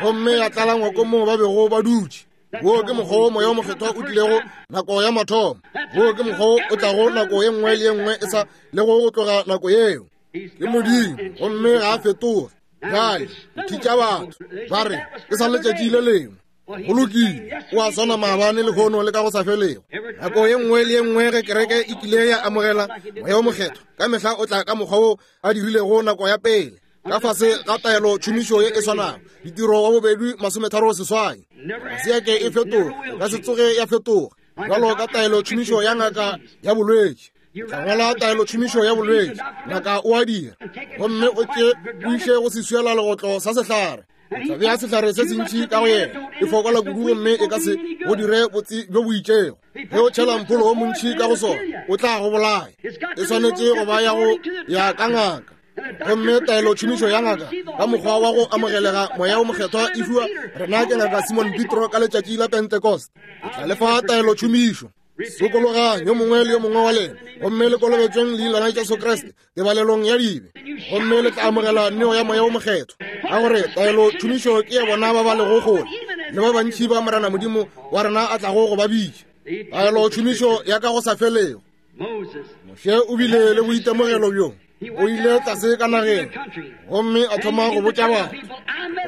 gomme ya tlala ngwako moo ba bego ba dutše. Wo ke mokgwa wo Moya wo Mokgethwa o tlilego nako ya mathomo. Wo ke mokgwa wo o tlago nako ye nngwe le ye nngwe e sa lego go tloga nako yeo. Ke Modimo, gomme ga a fetoge. Bjale, thitša batho ba re ke sa letšatši le lengwe. Go lokile, o a swana maabane, lehono le ka go sa felego. Nako ye nngwe le ye nngwe ge kereke e kile ya amogela Moya wo Mokgethwa, ka mehla o tla ka mokgwa wo a dirilego nako ya pele, ka fase ga taelo tšhomišo ye e swanago. Ditiro wa bobedi 38. Ga se ya ke e fetoga, e ka se tsoge ya fetoga. Bjalo ka taelo tšhomišo ya ngaka ya bolwetši, tla ngwala taelo tšhomišo ya bolwetši, ngaka o a dira, gomme o tše o iše go seswiela legotlo sa sehlare. O tla bea sehlare se sentši ka go yena, e fokola kudu gomme e ka se go dire botse bjo bo itšego. Ge o tšhela mpholo o montši ka go sona, o tla go bolaya. E swanetše go ba ya go ya ka ngaka. Gomme taelo tšhomišo ya ngaka ka mokgwa wa go amogelega Moya wo Mokgethwa e fiwa rena ke ngaka Simon Petro ka letšatši la Pentecost. Ke tla le fa taelo tšhomišo. Sokologang yo mongwe le yo mongwe wa lena, gomme le kolobetšweng leina la Jesu Kriste tebalelong ya dibe, gomme le tla amogela neo ya Moya wo Mokgethwa. Ka gore taelo tšhomišo ke ya bona ba ba lego kgole le ba bantši ba Morena Modimo wa rena a tlago go ba bitša. Taelo tšhomišo ya ka go sa felego. Moshe o bile le boitemogelo bjo. O ile tlase ka nageng gomme a thoma go botša batho,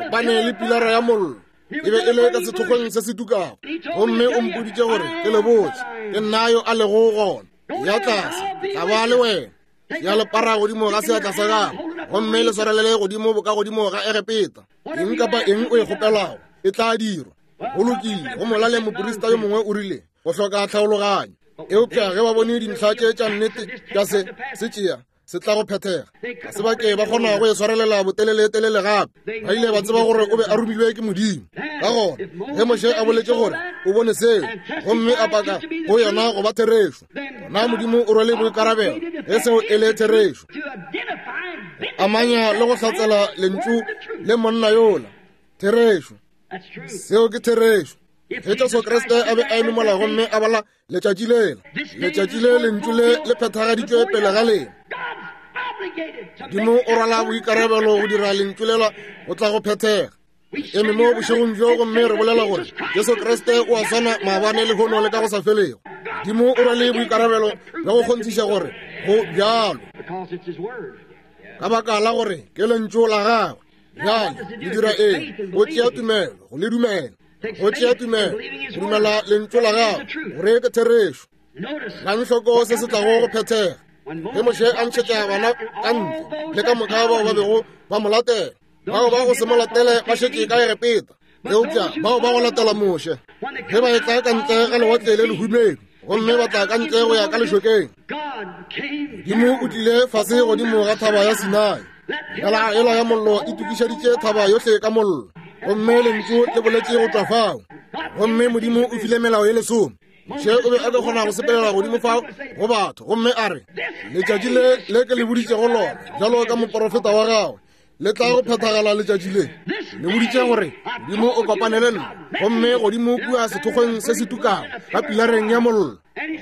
kopane le pilara ya mollo e be e le ka sethokgweng se se tukago, gomme o mpoditše gore ke le botše, ke nna yo a lego gona. Ya tlase, ke tla ba le wena. Ya lepara godimo ga seatla sa gago, gomme le swarelele godimo bokagodimo ga Egepeta. Eng kapa eng o e kgopelago e tla dirwa. Go lokile, go molaleng moprista yo mongwe o rile, go hloka tlhaologanyo. Eupša ge ba bone dintlha tše tša nnete tša se, se tšea, se tla go phethega. Ga se ba ke ba kgona go e swarelela boteleletelele gape. Ba ile ba tseba gore o be a romilwe ke Modimo. Ka gona, ge Moshe a boletše gore o bone seo, gomme a paka go yona go ba therešo, gona Modimo o rwele boikarabelo ge seo e le therešo. Amanya le go hlatsela lentšu le monna yola. Therešo. Seo ke therešo. Ge Jesu Kriste a be a eme mola gomme a bala letšatši lela, letšatši le lentšu le le phethagaditšwe pele ga lena. Modimo o rwala boikarabelo go dira lentšu lela go tla go phethega. Eme mo bošegong bjo gomme re bolela gore Jesu Kriste o a swana maabane lehono le ka go sa felego. Modimo o rwale boikarabelo bja go kgonthiša gore go bjalo, ka baka la gore ke lentšu la gagwe. Bjale le dira eng? Go tšea tumelo go le dumela. Go tšea tumelo go dumela lentšu la gago gore ke therešo. Lang hloko se se tlago go phethega. Ge Moshe a ntšhetša bana ka ntle le ka moka bao ba bego ba mo latela, bao ba go se mo latele ba šetše ka Egepeta, eupša bao ba go latela Moshe ge ba etla ka ntle ga lewatle le lehubedu gomme ba tla ka ntle go ya ka lešokeng, Modimo o tlile fase godimo ga thaba ya Sinai. Ela ela ya mollo e tukišeditše thaba yohle ka mollo, gomme lentšu le boletše go tšwa fao. Gomme Modimo o file melao ye lesome. Moshe o be a ka kgona go sepelela godimo fao go batho gomme a re, letšatši le le ke le boditšego lona bjalo ka moporofeta wa gagwe le tla go phethagala letšatši le. Le boditše gore Modimo o kopane le nna gomme godimo kua sethokgweng se se tukago ka pilareng ya mollo,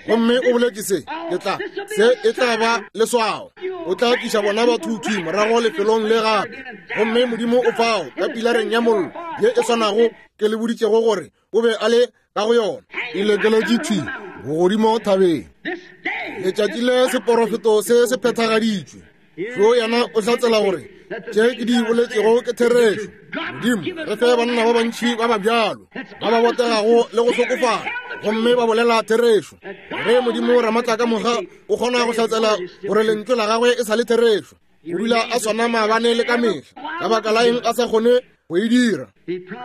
gomme o boletše se, ke tla, se e tla ba leswao. O tla tliša bona batho thwi morago lefelong le gape. Gomme Modimo o fao ka pilareng ya mollo ye e swanago ke le boditšego gore o be a le ka go yona, e lekeletše thwi bogodimo thabeng. Letšatši le seporofeto se se phethagaditšwe. Yo yena o hlatsela gore tše ke di boletšego ke therešo. Modimo, re fe banna ba bantši ba ba bjalo, ba ba botegago le go hlokofala, gomme ba bolela therešo. Ge Modimo Ramatlakamoga o kgona go hlatsela gore lentšu la gagwe e sa le therešo, o dula a swana maabane le ka mehla. Ka baka la eng a sa kgone go e dira?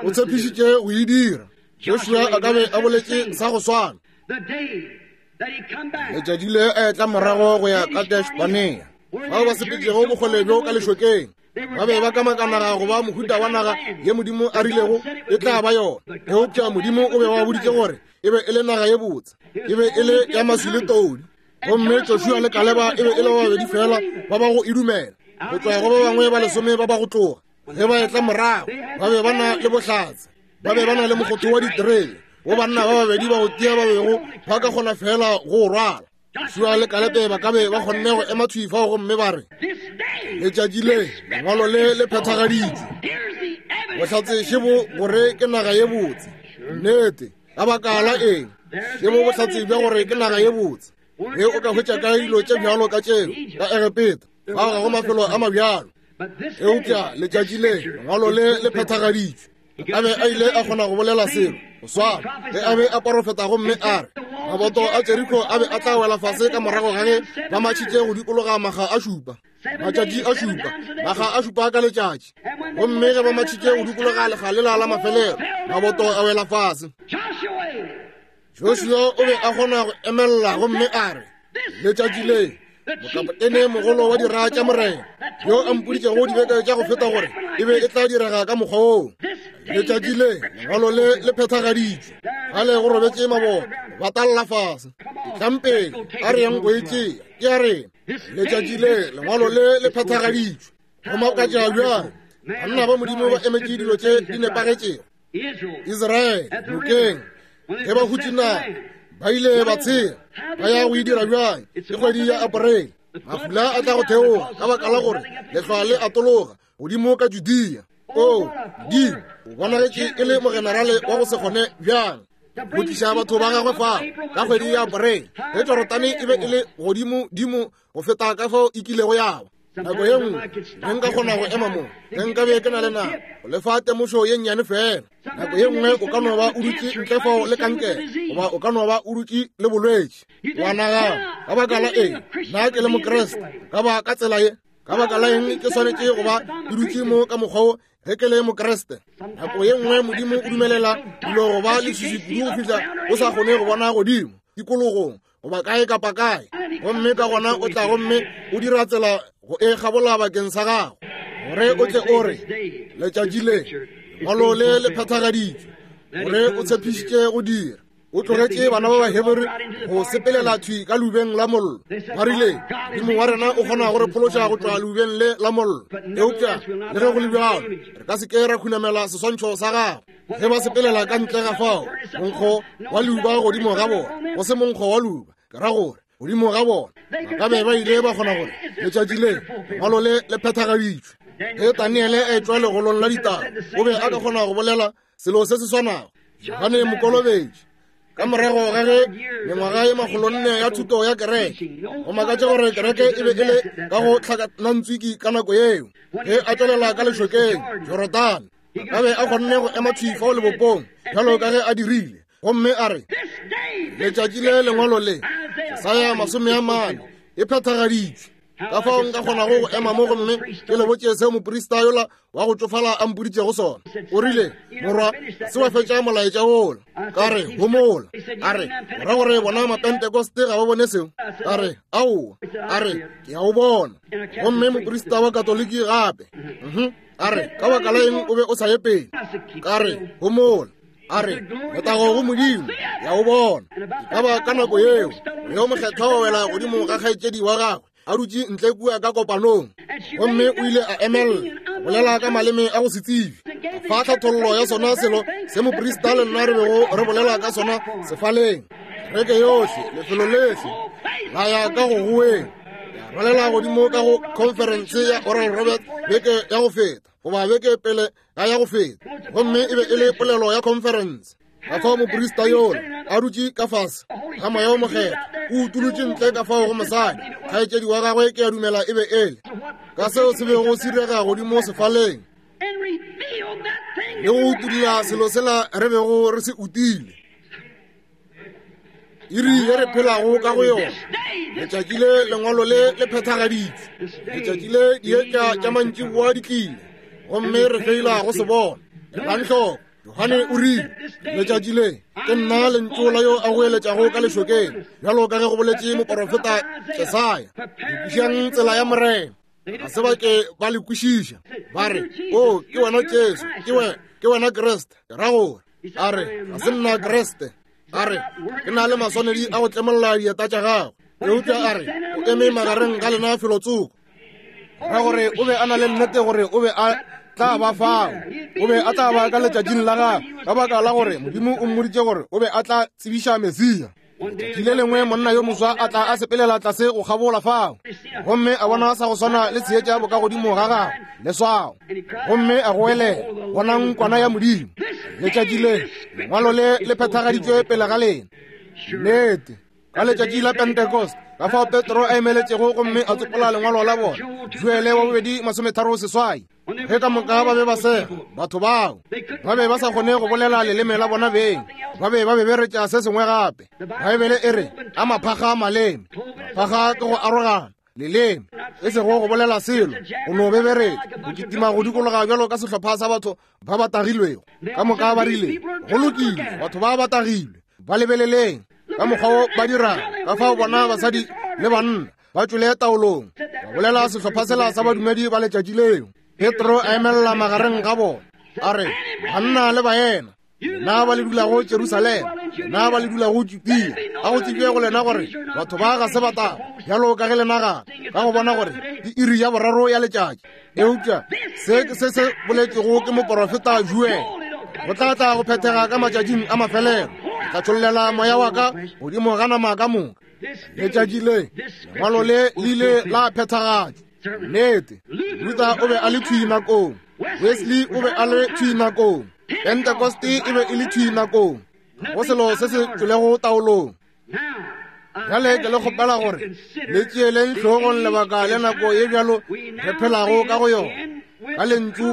O tshepišitše go e dira. Joshua a ka be a boletše sa go swana. Letšatši le a etla morago go ya Kadesh Barnea, bao ba sepetšego bokgole bjo ka lešokeng, ba be ba kamaka naga go ba mohuta wa naga ye Modimo a rilego e tla ba yona. Eupša Modimo o be wa boditše gore e be e le naga ye botse, e be e le ya maswi le todi. Gomme Joshua le Kaleba e be e le ba babedi fela ba ba go e dumela, go tšwa go ba bangwe ba lesome ba ba go tloga. Ge ba etla morago, ba be ba na le bohlatse, ba be ba na le mokgotho wa diterele wo banna ba babedi ba go tia ba bego ba ka kgona fela go o rwala. Joshua le Kalebe ba ka be ba kgonne go ema thwi fao gomme ba re, letšatši le lengwalo le le phethagaditšwe, bohlatse šebo gore ke naga ye botse. Nnete, ka baka la eng? Šebo bohlatse bja gore ke naga ye botse. Ge o ka hwetša kae dilo tše bjalo ka tšeo ka Egepeta, fao ga go mafelo a mabjalo. Eupša letšatši le lengwalo le le phethagaditšwe. A be a ile a kgona go bolela selo go swana ge a be a porofeta gomme a re maboto a Jeriko a be a tla wela fase ka morago ga ge ba matšhitše go dikologa maga a šupa, matšatši a šupa, maga a šupa ka letšatši. Gomme ge ba matšhitše go dikologa lekga lela la mafelelo, maboto a wela fase. Joshua o be a kgona go emelela gomme a re, letšatši le mokapotene mogolo wa dira tša Morena yo a mpoditšego dibeke tša go feta gore e be e tla direga ka mokgwa woo, letšatši le lengwalo le le phethagaditšwe. Gale go robetše maboto ba talla fase. Etlang pele, a re yang go e tšea, ke ya rena. Letšatši le lengwalo le le phethagaditšwe. Go makatša bjang, banna ba Modimo ba emetše dilo tše di nepagetšego. Israele nokeng ge ba hutše naga ba ile ba tshela ba ya go e dira bjang? Ke kgwedi ya April, mafula a tla go theoga ka baka la gore lehlwa le atologa godimo ka Judea. O Modimo, o bonagetše e le mogenerale wa go se kgone bjang! Go tliša batho ba gagwe fao ka kgwedi ya Aprele, ge Jorodane e be e le godimodimo go feta ka fao e kilego ya ba. Nako ye nngwe ge nka kgona go ema mo, ge nka be ke na le nako go le fa temošo ye nnyane fela. Nako ye nngwe o ka no ba o dutše ntle fao le kankere, goba o ka no ba o dutše le bolwetši. Wa nagana, ka baka la eng nna ke le Mokriste ka ba ka tsela ye? Ka baka la eng ke swanetše go ba ke dutše mo ka mokgwa wo ge ke le Mokriste? Nako ye nngwe Modimo o dumelela dilo go ba leswiswi kudu go fihla o sa kgone go bona godimo tikologong goba kae kapa kae, gomme ka gona o tla gomme o dira tsela go e kgabola bakeng sa gago, gore o tle o re, Letšatši le, lengwalo le le phethagaditšwe, gore o tshepišitše go dira. O tlogetše bana ba Bahebere go sepelela thwi ka leubeng la mollo. Ba rile, Modimo wa rena o kgona go re phološa go tšwa leubeng le la mollo. Eupša le ge go le bjalo, re ka se ke ra khunamela seswantšho sa gagwe. Ge ba sepelela ka ntle ga fao, monkgo wa leuba godimo ga bona, go se monkgo wa leuba, ke ra gore godimo ga bona, ba ka be ba ile ba kgona gore letšatši le lengwalo le le phethagaditšwe. Ge Daniele a etšwa legolong la ditaba, o be a ka kgona go bolela selo se se swanago. Johane Mokolobetši, ka morago ga ge mengwaga ye makgolonne ya thuto ya kereke, go makatša gore kereke e be e le ka go tlhakanantswiki ka nako yeo, ge a tšwelela ka lešokeng Jorodane, a ka be a kgonne go ema thwi fao lebopong bjalo ka ge a dirile, gomme a re, Letšatši le lengwalo le, Jesaya 40, e phethagaditšwe. Ka fao nka kgonago go ema mo gomme ke le botše seo moprista yola wa go tšofala a mpoditšego sona. O rile, Morwa, se wa fetša molaetša wola. Ka re, Homola. A re, O ra gore bona Mapentekoste ga ba bone seo? Ka re, Aowa. A re, Ke a o bona. Gomme moprista wa Katoliki gape. A re, Ka baka la eng o be o sa ye pele? Ka re, Homola. A re, Letago go Modimo, ya o bona. E ka ba ka nako yeo yo mokgethwa wa wela godimo ga kgaetšedi wa gagwe a dutše ntle kua ka kopanong, gomme o ile a emelela a bolela ka maleme a go se tsebe, a fa tlhathollo ya sona selo se moprista le nna re bego re bolela ka sona sefaleng. Kereke yohle, lefelo lehle la ya ka go goeng, ya rwalela godimo ka go conference ya Oral Roberts beke ya go feta, goba beke pele ga ya go feta, gomme e be e le polelo ya conference. Ka fao moprista yola a dutše ka fase ga Moya wo Mokgethwa, o utolotše ntle ka fao go mosadi, kgaetšedi wa gagwe, ke a dumela e be e le, ka seo se bego se direga godimo sefaleng, le go utolla selo sela re bego re se utile. Iri ye re phelago ka go yona, letšatši le lengwalo le le phethagaditšwe, letšatši le dietša tša mantšiboa di tlile, gomme re feila go se bona. Elang hloko, Johane o rile, Letšatši le ke nna lentšu la yo a goeletšago ka lešokeng, bjalo ka ge go boletše moporofeta Jesaya, lokišang tsela ya Morena. Ga se ba ke ba le kwešiša. Ba re, O, ke wena Jesu, ke wena Kriste. Ke ra gore, a re, ga se nna Kriste. A re, ke na le maswanedi a go tlemolla dieta tša gago. Eupša a re, o eme magareng ga lena felotsoko. Ra gore o be a na le nnete gore o be a tla ba fao, o be a tla ba ka letšatšing la gagwe, ka baka la gore Modimo o mmoditše gore o be a tla tsebiša Mesia. Letšatši le lengwe monna yo moswa a tla a sepelela tlase go kgabola fao, gomme a bona sa go swana le seetša bokagodimo ga gagwe, leswao, gomme a goelela, Bonang Kwana ya Modimo! Letšatši le, lengwalo le le phethagaditšwe pele ga lena. Nnete. Ka letšatši la Pentecost, ka fao Petro a emeletšego gomme a tsopola lengwalo la bona, Joele wa bobedi 38. Ge ka moka ba be ba sega, batho bao ba be ba sa kgone go bolela leleme la bona beng, ba be ba beberetša se sengwe gape. Baebele e re, a maphakga a maleme. Maphakga ke go arogana leleme, e sego go bolela selo, go no beberetša, go kitima go dikologa bjalo ka sehlopha sa batho ba ba tagilwego. Ka moka ba rile, Go lokile, batho ba ba tagilwe, ba lebeleleng ka mokgwa wo ba dirago, ka fao bona basadi le banna ba tšwele taolong, ba bolela sehlopha sela sa badumedi ba letšatši leo. Petro a emelela magareng ga bona, a re, Banna le baena, lena ba le dulago Jerusalema, lena ba le dulago Judea, a go tsebje go lena gore batho ba ga se ba taba bjalo ka ge le nagana, ka go bona gore ke iri ya boraro ya letšatši. Eupša se ke se se boletšego ke moporofeta Joele, go tla tla go phethega ka matšatšing a mafelelo, ke tla tšhollela moya wa ka godimo ga nama ka moka. Letšatši le, lengwalo le le ile la phethagatšwa. Nnete, Luther o be a le thwi nakong, Wesley o be a le thwi nakong, Pentecost e be e le thwi nakong. Go selo se se tšwelego taolong. Bjale ke le kgopela gore le tšeeleng hlogong lebaka le nako ye bjalo re phelago ka go yona, ka lentšu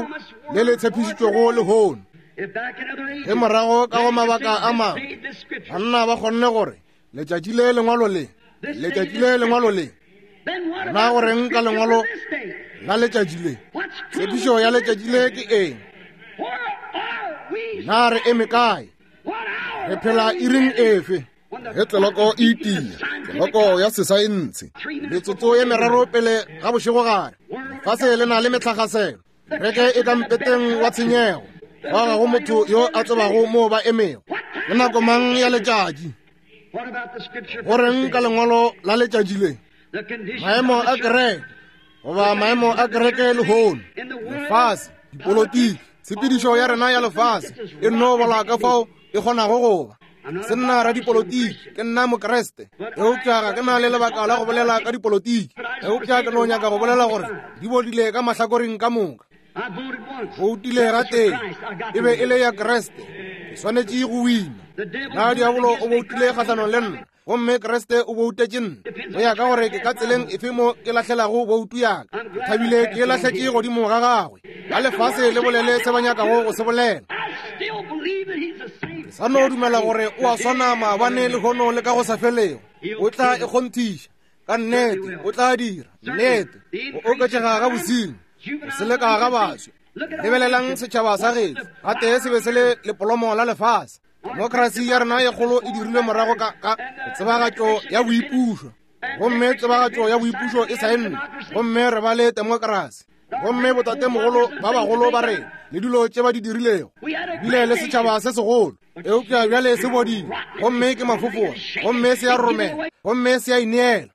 le le tshepišitšwego lehono. Ge morago ka go mabaka a mangwe banna ba kgonne gore letšatši le lengwalo le, letšatši le lengwalo le, na go reng ka lengwalo la letšatši le? Tshepišo ya letšatši le ke eng? Na re eme kae? Re phela iring efe? Ge tleloko e itia, tleloko ya sesaense, metsotso ye meraro pele ga bošegogare, lefase le na le metlhagaselo, kereke e ka mpeteng wa tshenyego, fa ga go motho yo a tsebago moo ba emego. Ke nako mang ya letšatši? Go reng ka lengwalo la letšatši le? Maemo a kereke, goba maemo a kereke lehono, lefase, dipolotiki, tshepedišo ya rena ya lefase e nno bola ka fao e kgonago go ba. Se nna radipolotiki, ke nna Mokriste, eupša ga ke na le lebaka la go bolela ka dipolotiki, eupša ke no nyaka go bolela gore di bodile ka mahlakoreng ka moka. Boutile gatee, e be e le ya Kriste, ke swanetše go wina. Na diabolo o boutile kgahlanong le nna, gomme Kriste o boutetše nna. Go ya ka gore ke ka tseleng efe mo ke lahlelago boutu ya ka, ke thabile ke e lahletše godimo ga gagwe. Ba lefase le bolele se ba nyakago go se bolela. Ke sa no dumela gore o a swana maabane, lehono le ka go sa felego. O tla e kgonthiša. Ka nnete o tla dira. Nnete. Go oketšega ga bosenyi, go seleka ga baswi. Lebelelang setšhaba sa gešo. Gatee se be se le lepolomo la lefase. Demokrasi ya rena ye kgolo e dirilwe morago ka, ka tsebagatšo ya boipušo. Gomme tsebagatšo ya boipušo e saennwe, gomme re ba le demokrasi. Gomme botatemogolo ba bagolo ba rena le dilo tše ba di dirilego, bile le setšhaba se segolo, eupša bjale se bodile, gomme ke mafofola, gomme se a roromela, gomme se a ineela,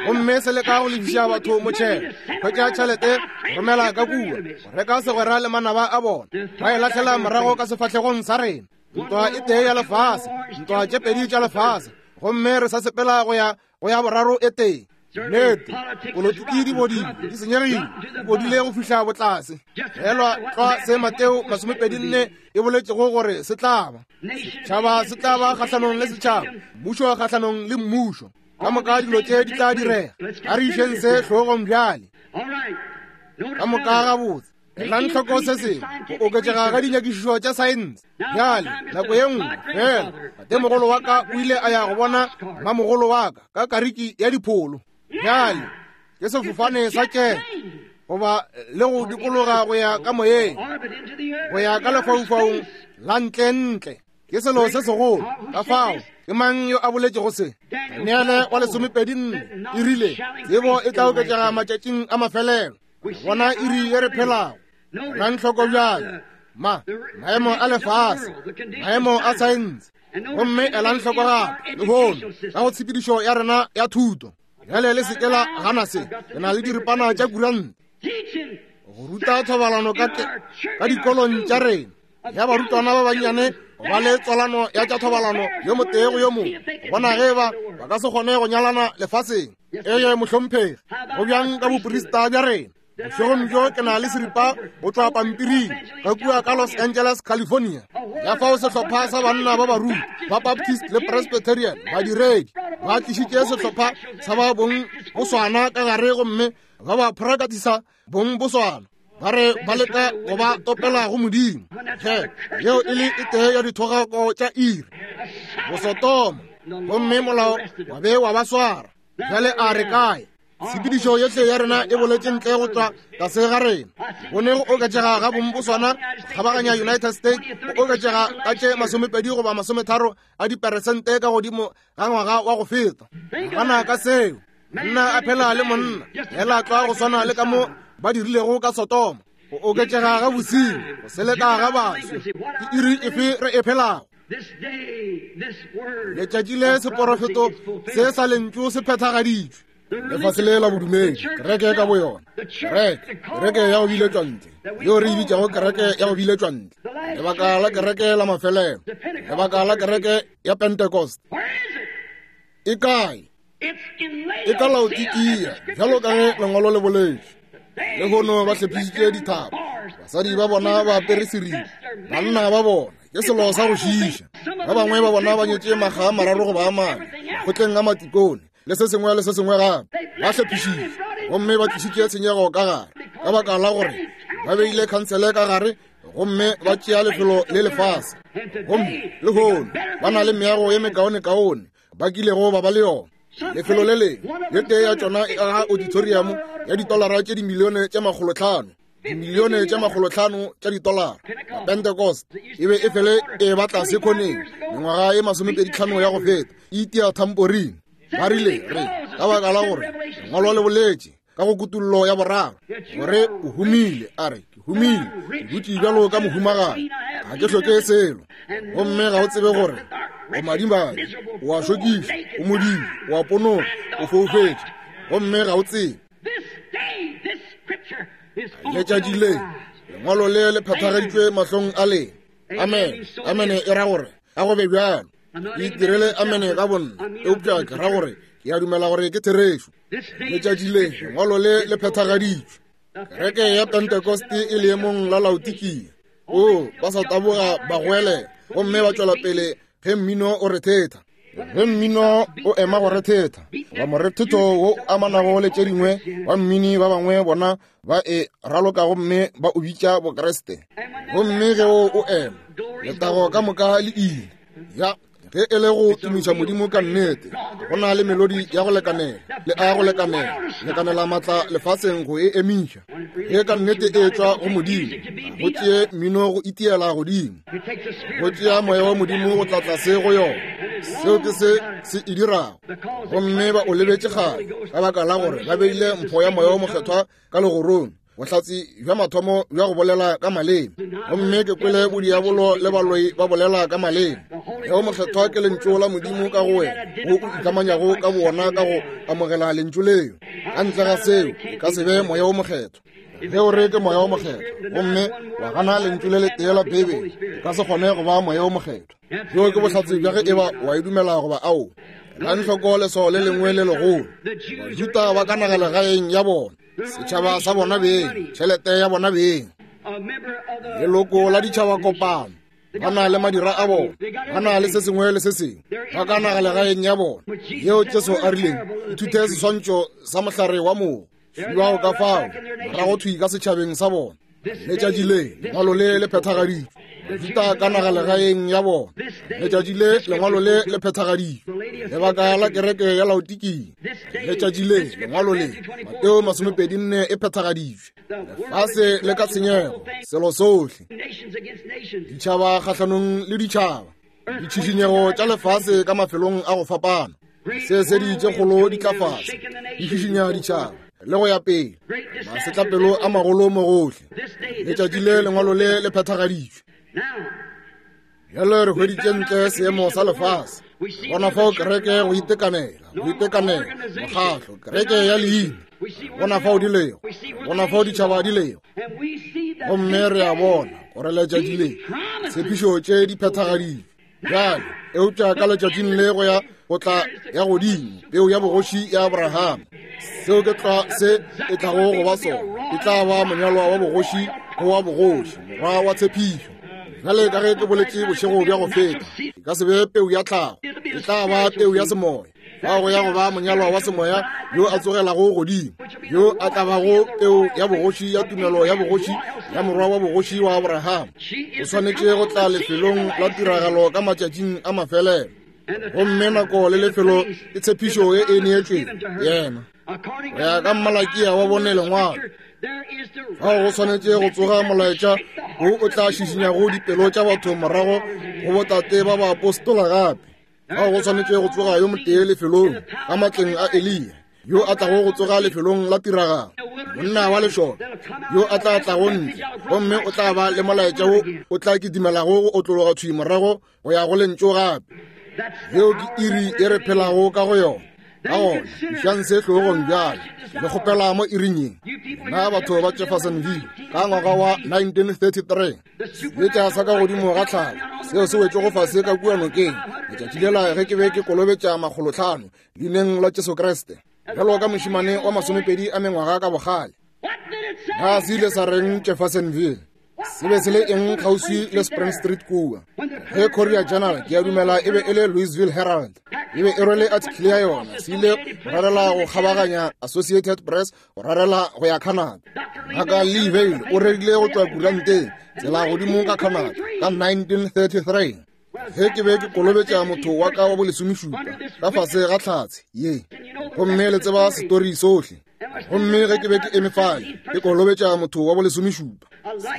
gomme se leka go lefiša batho motšhelo, hwetša tšhelete, go romela ka kua, go reka segwera le manaba a bona, ba e lahlela morago ka sefahlegong sa rena. Ntwa e tee ya lefase, ntwa tše pedi tša lefase, gomme re sa sepela go ya go ya boraro e tee. Nnete, polotiki di bodile, di senyegile, di bodile go fihla botlase. Elwa tlwa se Mateo 24 e boletšego gore se tla ba. Setšhaba se tla ba kgahlanong le setšhaba, mmušo kgahlanong le mmušo. Ka moka dilo tše di tla direga. A re išeng se hlogong bjale. Ka moka gabotse. Elang hloko se sengwe, go oketšega ga dinyakišišo tša saense. Bjale, nako ye nngwe fela, tatemogolo wa ka o ile a ya go bona mmamogolo wa ka ka kariki ya dipholo. Bjale, ke sefofane sa tšeke, goba le go dikologa go ya ka moyeng, go ya ka lefaufaung la ntlentle. Ke selo se segolo. Ka fao, ke mang yo a boletšego se? Daniele wa 24 e rile, tsebo e tla oketšega matšatšing a mafelelo. Bona iri ye re phelago. Elang hloko bjale, ma, maemo a lefase, maemo a saense. Gomme elang hloko gape, lehono, ka go tshepedišo ya rena ya thuto. Bjale le se ke la gana se. Re na le diripana tša kuranta. Go ruta thobalano ka, ka dikolong tša rena. Ya barutwana ba bannyane go ba le tswalano ya tša thobalano yo motee go yo mongwe, go bona ge ba ba ka se kgone go nyalana lefaseng. Eye, mohlomphegi, go bjang ka boprista bja rena? Bošegong bjo ke na le seripa go tšwa pampiring ka kua ka Los Angeles, California, ya fao sehlopha sa banna ba baruti ba Baptist le Presbyterian badiredi ba tlišitše sehlopha sa ba bong boswana ka gare gomme ba ba phorakatisa bong boswana, ba re ba leka go ba topela go Modimo. Ge yeo e le e tee ya dithogako tša iri, bosotoma, gomme molao wa be wa ba swara. Bjale a re kae? Tshepedišo yohle ya rena e boletše ntle go tšwa tlase ga rena. Go ne go oketšega ga bong boswana go kgabaganya United States go oketšega ka tše 20 goba 30 a diperesente ka godimo ga ngwaga wa go feta. Nagana ka seo. Monna a phela le monna, hela tlwa go swana le ka mo ba dirilego ka Sodoma. Go oketšega ga bosenyi, go seleka ga baswi. Ke iri efe re e phelago? Letšatši le seporofeto se sa lentšu se phethagaditšwe. Lefase le la bodumedi, kereke ka boyona, kereke, kereke ya go biletšwa ntle, yeo re e bitšago kereke ya go biletšwa ntle, lebaka la kereke la mafelelo, lebaka la kereke ya Pentecost. E kae? E ka Laodikia, bjalo ka ge lengwalo le boletše. Lehono ba hlephišitše dithaba, basadi ba bona ba apere seripa, banna ba bona. Ke selo sa go šiiša. Ba bangwe ba bona ba nyetše makga a mararo goba a mane, kgotleng a matikone, le se sengwe le se sengwe gape. Ba hlephišitše, gomme ba tlišitše tshenyego ka gare, ka baka la gore ba beile khansele ka gare, gomme ba tšea lefelo le lefase. Gomme lehono ba na le meago ye mekaonekaone ba kilego ba ba le yona. Lefelo le lengwe, ye tee ya tšona e aga auditorium ya ditolara tše dimilione tše makgolotlhano. Dimilione tše makgolotlhano tša ditolara. Pentecost e be e fele e ba tlase khoneng mengwaga e masomepeditlhano ya go feta, e itia thamporine. Ba rile, re, ka baka la gore lengwalo le boletše ka go kutullo ya boraro gore o humile, a re, ke humile, ke dutše bjalo ka mohumagadi, ga ke hloke selo. Gomme ga o tsebe gore o madimabe, o a šokiša, o modimo, o a ponoka, o foufetše, gomme ga o tsebe. Letšatši le lengwalo le le phethagaditšwe mahlong a lena. Amen. Amene e ra gore a go be bjalo. Ke itirele amene ka bonna, eupša ke ra gore ke a dumela gore ke therešo. Letšatši le lengwalo le le phethagaditšwe. Kereke ya Pentekoste e leemong la Laodikia. O, ba sa taboga ba goelela gomme ba tšwela pele ge mmino o rethetha. Ge mmino o ema go rethetha, goba morethetho wo o amanago le tše dingwe wa mmini, ba bangwe bona ba e raloka gomme ba o bitša Bokriste. Gomme ge o o ema, letago ka moka le ile. Ya, ge e le go tumiša Modimo ka nnete, go na le melodi ya go lekanela le a go lekanela, lekanela matla lefaseng go e emiša. Ge ka nnete e tšwa go Modimo, go tšee mmino go itiela godimo, go tšea moya wa Modimo go tla tlase go yona. Seo ke se se e dirago. Gomme ba o lebetše kgale, ka baka la gore ba beile mpho ya Moya wo Mokgethwa ka legorong, bohlatse bja mathomo bja go bolela ka maleme. Gomme ke kwele bodiabolo le baloi ba bolela ka maleme. Moya wo Mokgethwa ke Lentšu la Modimo ka go wena, wo o ikamanyago ka bowona ka go amogela Lentšu leo. Ka ntle ga seo, e ka se be Moya wo Mokgethwa. Ge o re ke Moya wo Mokgethwa gomme wa gana Lentšu le letee la Beibele, e ka se kgone go ba Moya wo Mokgethwa. Bjo ke bohlatse bja ge e ba wa e dumela goba ao. Elang hloko leswao le lengwe le legolo. Bajuda ba ka nagalegaeng ya bona, setšhaba sa bona beng, tšhelete ya bona beng, leloko la ditšhaba kopano, ba na le madira a bona, ba na le se sengwe le se sengwe, ba ka nagalegaeng ya bona yeo Jesu a rileng, ithute seswantšho sa mohlare wa mogo. Fiwago ka fao, morago thwi ka setšhabeng sa bona. Letšatši le, lengwalo le le phethagaditšwe. Bajuda ka nagalegaeng ya bona. Letšatši le, lengwalo le le phethagaditšwe. Lebaka la kereke ya Laodikia. Letšatši le, lengwalo le, Mateo masomepedinne e phethagaditšwe. Lefase le ka tshenyego, selo sohle. Ditšhaba kgahlanong le ditšhaba. Ditšhišinyego tša lefase ka mafelong a go fapana. Seesedi tše kgolo di tla fase, di šišinya ditšhaba le go ya pele. Masetlapelo a magolo mo gohle. Letšatši le lengwalo le le phethagaditšwe. Bjale re hweditše ntle seemo sa lefase. Bona fao kereke go itekanela, go itekanela, mokgatlo, kereke ya leina. Bona fao di lego, bona fao ditšhaba di lego. Gomme re a bona gore letšatši le tshepišo tše di phethagaditšwe. Bjale, eupša ka letšatšing le go ya go tla ya godimo peu ya bogoši ya Abraham. Seo ke tlwa se e tlago go ba sona. E tla ba monyalwa wa bogoši go wa bogoši, morwa wa tshepišo. Bjale ka ge ke boletše bošego bja go feta, e ka se be peu ya tlhago, e tla ba peu ya semoya. Fao go ya go ba monyalwa wa semoya yo a tsogelago godimo, yo a tla bago peu ya bogoši ya tumelo ya bogoši ya morwa wa bogoši wa Abraham. O swanetše go tla lefelong la tiragalo ka matšatšing a mafelelo. Gomme nako le lefelo ke tshepišo ye e neetšwego yena. Go ya ka Mmalakia wa bone lengwalo, fao go swanetše go tsoga molaetša wo o tla šišinyago dipelo tša batho morago go botate ba baapostola gape. Fao go swanetše go tsoga yo motee lefelong ka matleng a Eliya, yo a tlago go tsoga lefelong la tiragalo, monna wa lešole yo a tla tlago ntle, gomme o tla ba le molaetša wo o tla kitimelago go otlologa thwi morago go ya go lentšu gape. Yeo ke iri ye re phelago ka go yona. Ka gona, išang se hlogong bjale, le kgopela mo iring ye. Na batho ba Jeffersonville ka ngwaga wa 1933, seetša sa ka godimo ga tlhago seo se wetšego fase ka kua nokeng letšatši lela ge ke be ke kolobetša makgolotlhano leineng la Jesu Kriste, bjalo ka mošemane wa masomepedi a mengwaga ka bogale. Na se ile sa reng Jeffersonville? Se be se le eng kgauswi le Spring Street kua? Ge Courier Journal, ke a dumela e be e le Louisville Herald, e be e rwele article ya yona, se ile go rarela go kgabaganya Associated Press go rarela go ya Canada. Ngaka Lee Vayle o rerile go tšwa kuranteng tsela godimo ka Canada ka 1933. Ge ke be ke kolobetša motho wa ka wa bolesomešupa ka fase ga tlhatse ye, gomme le tseba setori sohle. Gomme ge ke be ke eme fale ke kolobetša motho wa bolesomešupa,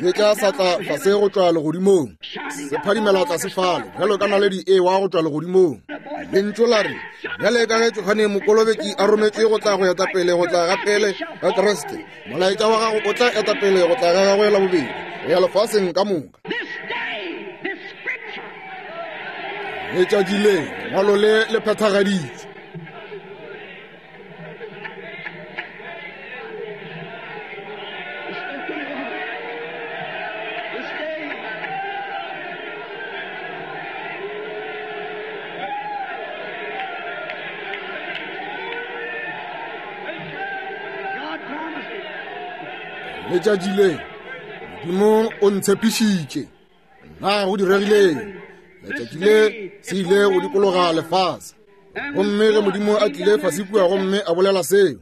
seetša sa tla fase go tšwa legodimong, se phadimela tlase fale bjalo ka naledi e wa go tšwa legodimong. Lentšu la re, Bjale ka ge Johane Mokolobetši a rometšwe go tla go eta pele go tla ga pele ga Kriste, molaetša wa gago o tla eta pele go tla ga gagwe la bobedi go ya lefaseng ka moka. Letšatši le, lengwalo le le phethagaditšwe. Letšatši le, Modimo o ntshepišitše. Na go diregileng? Letšatši le se ile go dikologa lefase. Gomme ge Modimo a tlile fase kua gomme a bolela seo,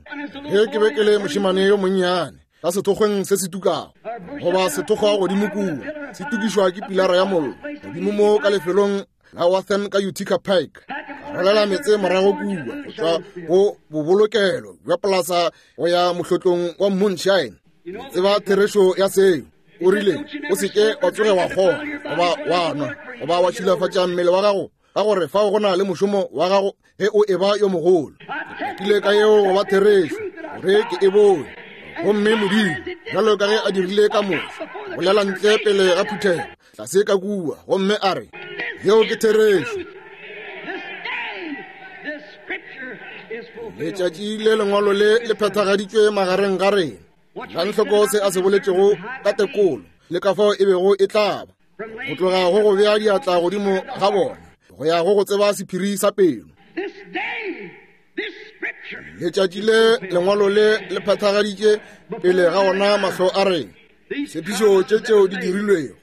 ge ke be ke le mošemane yo monnyane ka sethokgweng se se tukago, goba sethokgwa godimo kua se tukišwa ke pilara ya mollo godimo mo ka lefelong la Wathen ka Utica Pike, ka rwalela meetse morago kua go tšwa go bobolokelo bja polasa go ya mohlotlong wa moonshine. Tseba therešo ya seo. O rile, o se ke wa tsoge wa kgoga goba wa nwa goba wa šilafatša mmele wa gago, ka gore fao go na le mošomo wa gago ge o eba yo mogolo. Ke ile ka yeo go ba therešo gore ke e bone. Gomme Modimo, bjalo ka ge a dirile ka Moshe, bolela ntle pele ga phuthego tlase ka kua, gomme a re, Yeo ke therešo. Letšatši le lengwalo le le phethagaditšwe magareng ga rena. Elang hloko se a se boletšego ka tekolo le ka fao e bego e tla ba, go tloga go go bea diatla godimo ga bona go ya go go tseba sephiri sa pelo. Letšatši le lengwalo le le phethagaditše pele ga ona mahlo a rena tshepišo tše tšeo di dirilwego.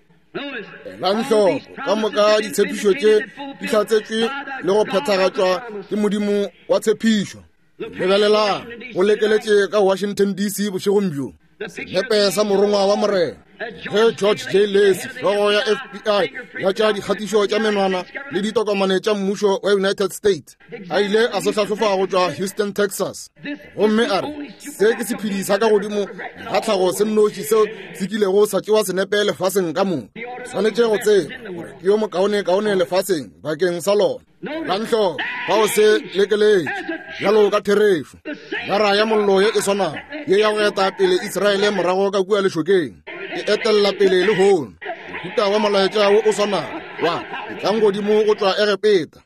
Elang hloko ka moka ditshepišo tše di hlatsetšwe le go phethagatšwa ke Modimo wa tshepišo. Lebelelang, go lekeletše ka Washington DC bošegong bjo senepe sa morongwa wa Morena ge George J. Lacy, hlogo ya FBI ya tša dikgatišo tša menwana le ditokomane tša mmušo wa United States, a ile a se hlahlofa go tšwa Houston, Texas, gomme a re se ke sephedi sa ka godimo ga tlhago se nnoši seo se kilego sa tšewa senepe lefaseng ka moka. Swanetše go tseba gore ke yo mokaonekaone lefaseng bakeng sa lona. Lantlo ga o se lekeletše bjalo ka therešo. Gara ya mollo ye e swanago ye ya go eta pele Israele morago ka kua lešokeng e etelela pele lehono mohuta wa molaetša wo o swanago wa etlang godimo go tšwa Egepeta.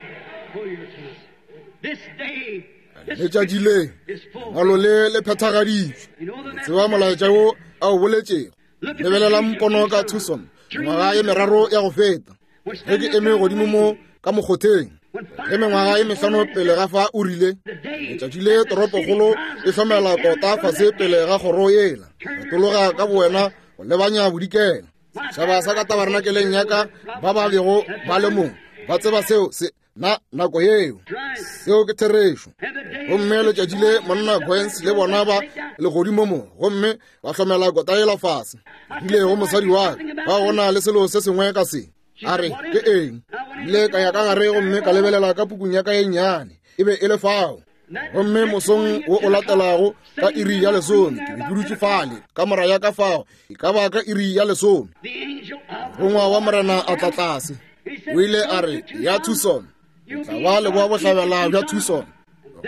Letšatši le lengwalo le le phethagaditšwe. Tseba molaetša wo a o boletšego. Lebelelang pono ka Tucson mengwaga ye meraro ya go feta, ge ke eme godimo mo ka mokgotheng, ge mengwaga ye mehlano pele ga fa o rile, letšatši le toropokgolo e hlomela kota fase pele ga kgoro yela, retologa ka bowena go lebanya bodikela. Setšhaba sa ka tabarnakeleng ya ka ba ba bego ba le mong ba tseba seo se na nako yeo. Seo ke therešo. Gomme letšatši le monna Goins le bona ba legodimo mo, gomme ba hlomela kota yela fase. Rile go mosadi wa ka, ba go na le selo se sengwe ka se. A re, ke eng? Ile ka ya ka gare gomme ka lebelela ka pukung ya ka ye nnyane. E be e le fao. Gomme mosong wo o latelago ka iri ya lesome, ke be ke dutše fale ka mora ya ka fao, e ka ba ka iri ya lesome, morongwa wa Morena a tla tlase. O ile a re, ya Tucson, o tla ba leboa bohlabela bja Tucson,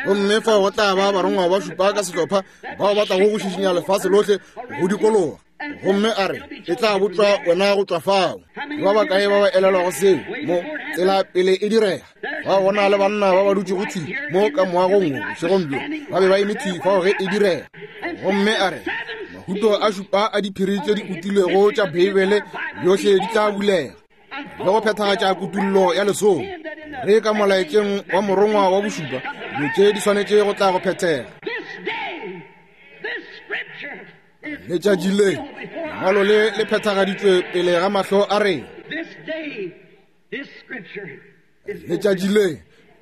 gomme fao go tla ba barongwa ba šupa ka sehlopha bao ba tlago go šišinya lefase lohle go dikologa. Gomme a re, e tla botšwa wena go tšwa fao. Ke ba bakae ba ba elelwago seo mo tsela pele e direga? Ba bona le banna ba ba dutšego thwi mo ka moagong wo bošegong bjo, ba be ba eme thwi fao ge e direga. Gomme a re, mahuto a šupa a diphiri tše di utilwego tša Beibele yohle di tla bulega le go phethagatša kutullo ya lesolo. Re ka molaetšeng wa morongwa wa bošupa, dilo tše di swanetše go tla go phethega. Letšatši le, Lengwalo le le phethagaditšwe pele ga mahlo a rena. Letšatši le,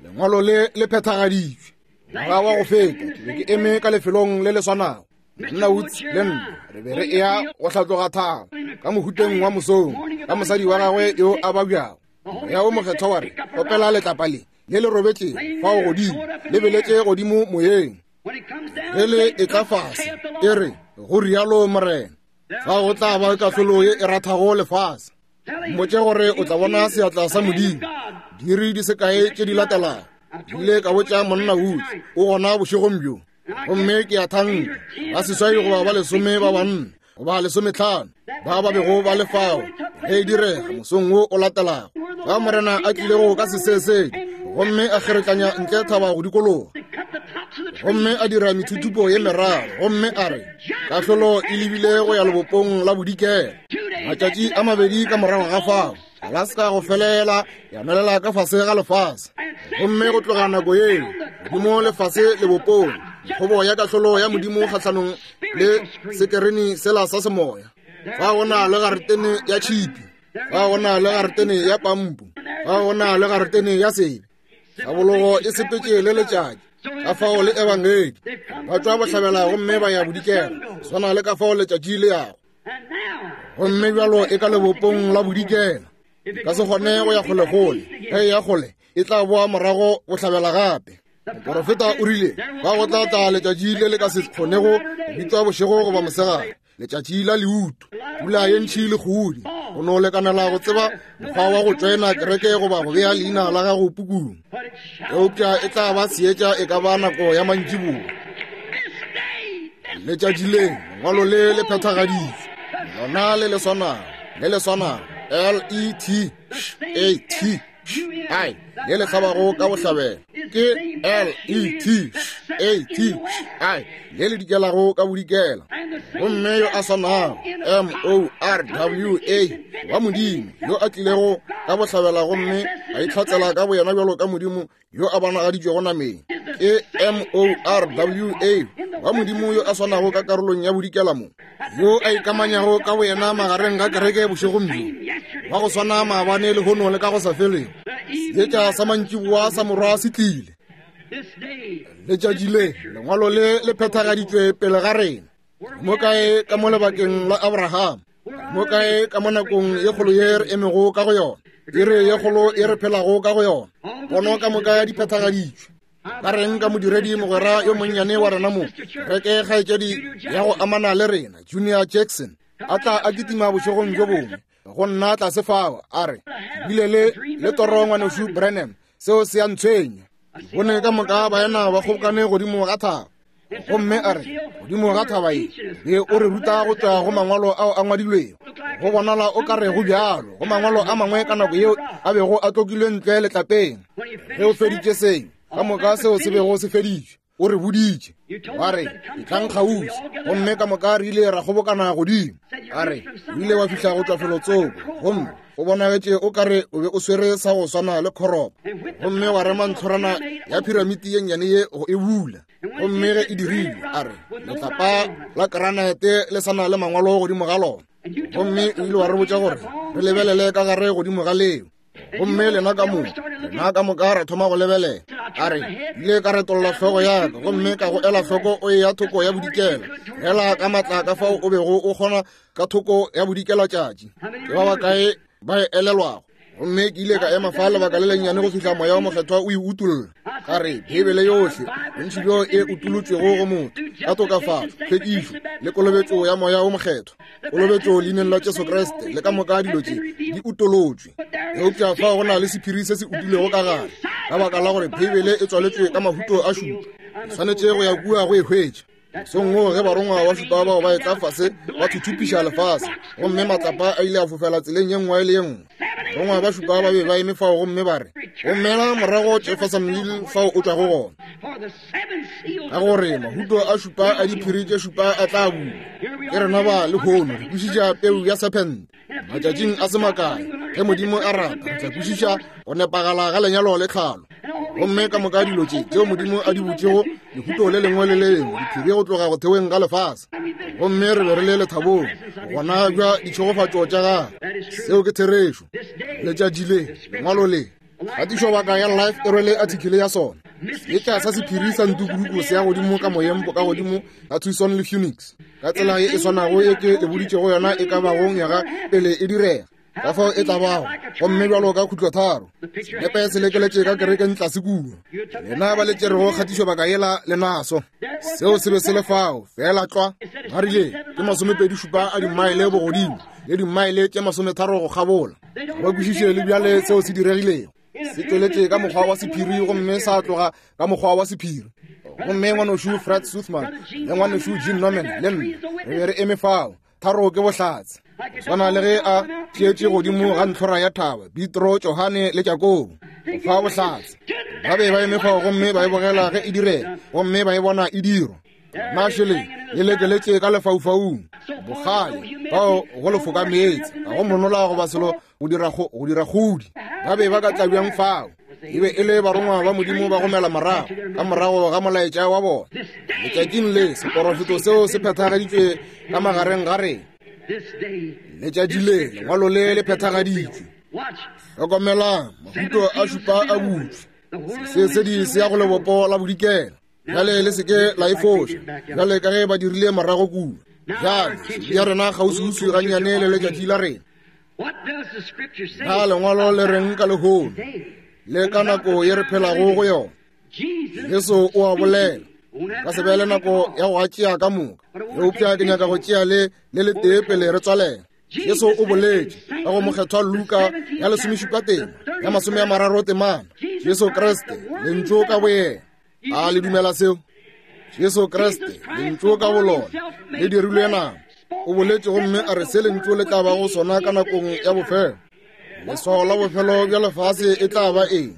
Lengwalo le le phethagaditšwe. Ngwaga wa go feta, ke be ke eme ka lefelong le le swanago. Monna Woods le nna re be re eya go hlatloga thaba ka mohuteng wa mosong ka mosadi wa gagwe yo a babjago. Moya wo Mokgethwa wa re, Opela letlapa le le le robetšego fao godimo, le beletše godimo moyeng. Ge le etla fase, e re, Go rialo Morena. Fao go tla ba kahlolo ye e rathago lefase. Mmotše gore o tla bona seatla sa Modimo. Diiri di se kae tše di latelago, ke ile ka botša monna Woods, o gona bošegong bjo. Gomme ke a thanka ba seswai goba ba lesome ba banna goba lesometlhano ba ba bego ba le fao ge e direga mosong wo o latelago, ba Morena a tlilego ka sesesedi gomme a kgeretlanya ntle thaba go dikologa, gomme a dira methuthupo ye meraro, gomme a re kahlolo e lebile go ya lebopong la bodikela. Matšatši a mabedi ka morago ga fao, Alaska go felela ya nwelela ka fase ga lefase, gomme go tloga nako yeo godimo lefase lebopong, kgobo ya kahlolo ya Modimo kgahlanong le sekereni sela sa semoya. Fa go na le garetene ya tšhipi, fa go na le garetene ya pampu, fa go na le garetene ya sebe. Tlhabologo e sepetše le letšatši, ka fao le ebangedi ba tšwa bohlabela gomme ba ya bodikela, swana le ka fao letšatši le yago. Gomme bjalo e ka lebopong la bodikela, e ka se kgone go ya kgolekgole. Ge e ya kgole, e tla boa morago bohlabela gape. Moporofeta o rile, Ba go tla tla letšatši le le ka se kgonego go bitšwa bošego goba mosegare, letšatši la leuto, pula ye ntši le kgudi, go no lekanela go tseba mokgwa wa go tšoena kereke goba go bea leina la gago pukung. Eupša e tla ba seetša e ka ba nako ya mantšiboa. Letšatši le, lengwalo le le phethagaditšwe, lona le le swanago, le le swanago, L E T A T I, le le hlabago ka bohlabela, ke L E T A T I, le le dikelago ka bodikela. Gomme yo a swanago, M O R W A, wa Modimo, yo a tlilego ka bohlabela gomme a itlhatsela ka boyena bjalo ka Modimo yo a bonagaditšwego nameng, ke M O R W A, wa Modimo yo a swanago ka karolong ya bodikela mo, yo a ikamanyago ka boyena magareng ga kereke bošegong bjo, wa go swana maabane, lehono le ka go sa felego. Seetša sa mantšiboa sa Morwa se tlile. Letšatši le, lengwalo le le phethagaditšwe pele ga rena. Mo kae ka mo lebakeng la Abraham, mo kae ka mo nakong ye kgolo ye re emego ka go yona, iri ye kgolo ye re phelago ka go yona, pono ka moka di phethagaditšwe. Ka reng ka modiredi mogwera yo monnyane wa rena mo, reke kgaetšedi ya go amana le rena, Junior Jackson, a tla a kitima bošegong bjo bongwe go nna tlase fao, a re, Ke bile le, le toro, Ngwanešu Branham, seo se a ntshwenya. Ke bone ka moka baena ba kgobokane godimo ga thaba. Gomme a re, Godimo ga thaba ye, be o re ruta go tšwa go mangwalo ao a ngwadilwego. Go bonala o ka re go bjalo go mangwalo a mangwe ka nako yeo a bego a tlokilwe ntle letlapeng. Ge o feditše seo, ka moka seo se bego se feditšwe, o re boditše. Wa re, Etlang kgauswi. Gomme ka moka re ile ra kgobokana godimo. A re, O ile wa fihla go tšwa felotsoko, gomme o bonagetše o ka re o be o swere sa go swana le khoropo, gomme wa rema ntlhorana ya phiramiti ye nnyane ye go e bula. Gomme ge e dirile, a re, letlapa la granite le sa na le mangwalo godimo ga lona. Gomme o ile wa re botša gore re lebelele ka gare godimo ga leo. Gomme lena ka moka, rena ka moka ra thoma go lebelela. A re, ile ka retolla hlogo ya ka gomme ka go ela hloko o eya thoko ya bodikela, fela ka matla ka fao o bego o kgona ka thoko ya bodikela tšatši. Ke ba bakae ba e elelwago? Gomme ke ile ka ema fa lebaka le lennyane go fihla Moya wo Mokgethwa o e utolla. Ka re, Beibele yohle, bontši bjo e utolotšwego go motho, ka tokafatšo, tlhwekišo, le kolobetšo ya Moya wo Mokgethwa, kolobetšo leineng la Jesu Kriste, le ka moka dilo tše di utolotšwe. Eupša fao go na le sephiri se se utilwego ka gare, ka baka la gore Beibele e tswaletšwe ka mahuto a šupa. Ke swanetše go ya kua go e hwetša. Mosong woo ge barongwa ba šupa bao ba etla fase ba thuthupiša lefase, gomme matlapa a ile a fofela tseleng ye nngwe le ye nngwe. Barongwa ba šupa ba be ba eme fao gomme ba re, Gomela morago Jeffersonville fao o tšwago gona, ka gore mahuto a šupa a diphiri tše šupa a tla bulwa. Ke rena ba lehono re kwešiša peu ya sephente. Matšatšing a se makae, ge Modimo a rata, re tla kwešiša go nepagala ga lenyalo le tlhalo. Gomme ka moka dilo tše tšeo Modimo a di butšego, lehuto le lengwe le le lengwe, diphiri go tloga go theweng ga lefase. Gomme re be re le lethabong Gona bja ditšhegofatšo tša gagwe. Seo ke therešo. Letšatši le, lengwalo le, kgatišobaka ya Life e rwele athikele ya sona. Seetša sa sephiri sa ntukuduku se ya godimo ka moyeng ka godimo ga Tucson le Phoenix, ka tsela ye e swanago ye ke le boditšego yona e ka bago nywaga pele e direga. Ka fao e tla bago, gomme bjalo ka khutlotharo, senepe se lekeletše ka kerekeng tlase kua. Lena ba le tšerego kgatišobaka yela le naso. Seo se be se le fao, feela tlwa. Ba rile, ke masomepedi šupa a dimaele bogodimo, le dimaele tše masometharo go kgabola. Ga ba kwešiše le bjale seo se diregilego. Se tšweletše ka mokgwa wa sephiri gomme sa tloga ka mokgwa wa sephiri. Gomme ngwanošu Fred Suthman le ngwanešu Gene Norman le nna re be re eme fao. Tharo ke bohlatse. Swana le ge a tšeetše godimo ga ntlhora ya thaba, Petro, Johane le Jakobo, go fa bohlatse. Ba be ba eme fao gomme ba e bogela ge e direga, gomme ba e bona e dirwa. Na šele le lekeletše ka lefaufaung, bogale bao go lefoka meetse, ga go monola goba selo go dira go dira kgodi. Ba be ba ka tla bjang fao? E be e le barongwa ba Modimo ba gomela morago ka morago ga molaetša wa bona. Letšatšing le seporofeto seo se phethagaditšwe ka magareng ga rena. Letšatši le lengwalo le le phethagaditšwe. Hlokomelang, mahuto a šupa a butšwe. Sesedi se ya go lebopo la bodikela. Bjale le se ke la e foša, bjale ka ge ba dirile morago kua. Bjale, ya rena kgauswiuswi gannyane le letšatši la rena. Na lengwalo le reng ka lehono le ka nako ye re phelago go yona? Jesu o a bolela. Ka se be le nako ya go a tšea ka moka, eupša ke nyaka go tšea le le letee pele re tswalela. Jesu o boletše ka go mokgethwa Luka ya lesomešupa tema ya masome a mararo temana. Jesu Kriste, Lentšu ka boyena. A le dumela seo? Jesu Kriste, Lentšu ka bolona, le dirilwe nama. O boletše gomme a re se Lentšu le tla bago sona ka nakong ya bofelo. Leswao la bofelo bja lefase e tla ba eng?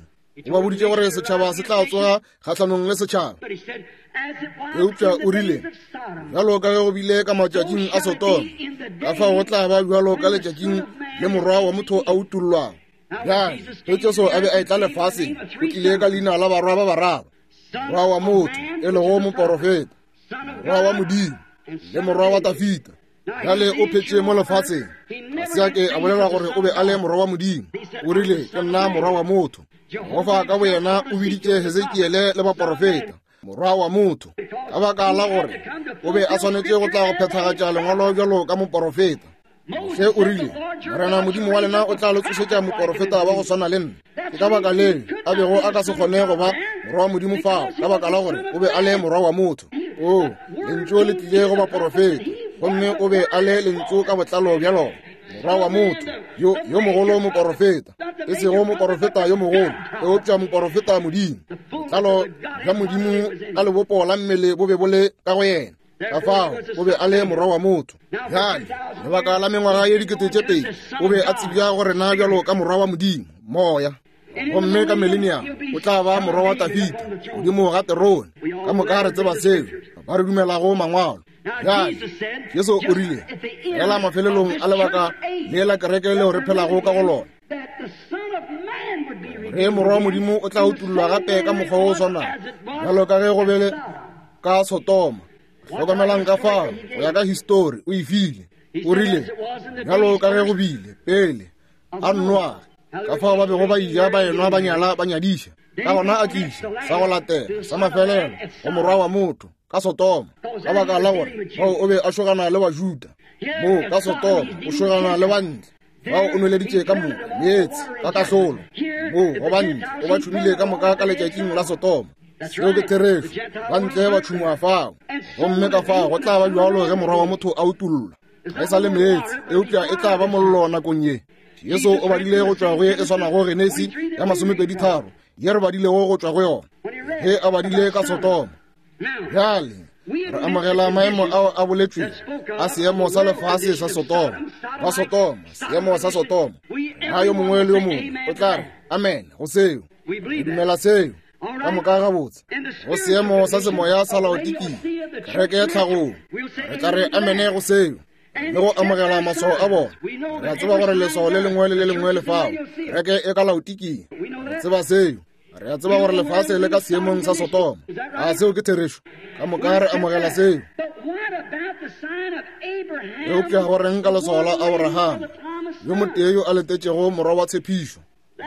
O ba boditše gore setšhaba se tla tsoga kgahlanong le setšhaba. Eupša o rile, bjalo ka ge go bile ka matšatšing a Sodoma, ka fao go tla ba bjalo ka letšatšing le Morwa wa motho a utollwago. Bjale, ge Jesu a be a etla lefaseng, o tlile ka leina la barwa ba bararo, morwa wa motho, e lego moporofeta, morwa wa Modimo, le morwa wa Dafida. Bjale o phetše mo lefaseng, ga se a ke a bolela gore o be a le morwa wa Modimo. O rile, ke nna morwa wa motho. Jehofa ka boyena o biditše Hesekiele le baporofeta morwa wa motho, ka baka la gore o be a swanetše go tla go phethagatša lengwalo bjalo ka moporofeta. Moshe o rile, Morena Modimo wa lena o tla le tsošetša moporofeta wa go swana le nna. Ke ka baka leo a bego a ka se kgone go ba morwa wa Modimo fao, ka baka la gore o be a le morwa wa motho. O, Lentšu le tlile go baporofeta, gomme o be a le Lentšu ka botlalo bja lona. Morwa wa motho, yo, yo mogolo moporofeta, e sego moporofeta yo mogolo, eupša moporofeta Modimo. Botlalo bja Modimo ka lebopo la mmele bo be bo le ka go yena. Ka fao o be a le morwa wa motho. Bjale, lebaka la mengwaga ye 2000, o be a tsebja go rena bjalo ka morwa wa Modimo, Moya. Gomme ka millennium o tla ba morwa wa Dafida godimo ga terone. Ka moka re tseba seo, ba re dumelago mangwalo. Bjale, Jesu o rile, fela mafelelong a lebaka le la kereke leo re phelago ka go lona, re morwa wa Modimo o tla utollwa gape ka mokgwa o swanago bjalo ka ge go bele ka Sodoma. Hlokomelang ka fao, go ya ka histori, o e file. O rile, bjalo ka ge go bile pele a Noage, ka fao ba bego ba ija, ba enwa, ba nyala, ba nyadiša. Ka gona a tliša sa go latela sa mafelelo go morwa wa motho ka Sodoma, ka baka la gore fao o be a šogana le Bajuda, mo ka Sodoma o šogana le bantle. Bao o nweleditše ka moka meetse ka kahlolo, mo go bantle o ba tšhumile ka moka ka letšatšing la Sodoma. Seo ke therešo, bantle ba tšhungwa fao, gomme ka fao go tla ba bjalo ge morwa wa motho a utollwa. Ga e sa le meetse, eupša e tla ba mollo nakong ye. Jesu o badile go tšwa go ye e swanago Genesi ya masomepeditharo ye re badilego go tšwa go yona ge a badile ka Sodoma. Bjale re amogela maemo ao a boletšwego a seemo sa lefase sa Sodoma, ba Sodoma, seemo sa Sodoma. Na yo mongwe le yo mongwe o tla re amen go seo? Re dumela seo ka moka gabotse. Go seemo sa semoya sa Laodikia, kereke ya tlhagong, re tla re amene go seo le go amogela maswao a bona. Re a tseba gore leswao le lengwe le le lengwe le fao. Kereke e ka Laodikia, re tseba seo. Re a tseba gore lefase le ka seemong sa Sodoma. A seo ke therešo? Ka moka re amogela seo. Eupša go reng ka leswao la Abraham, yo motee yo a letetšego morwa wa tshepišo?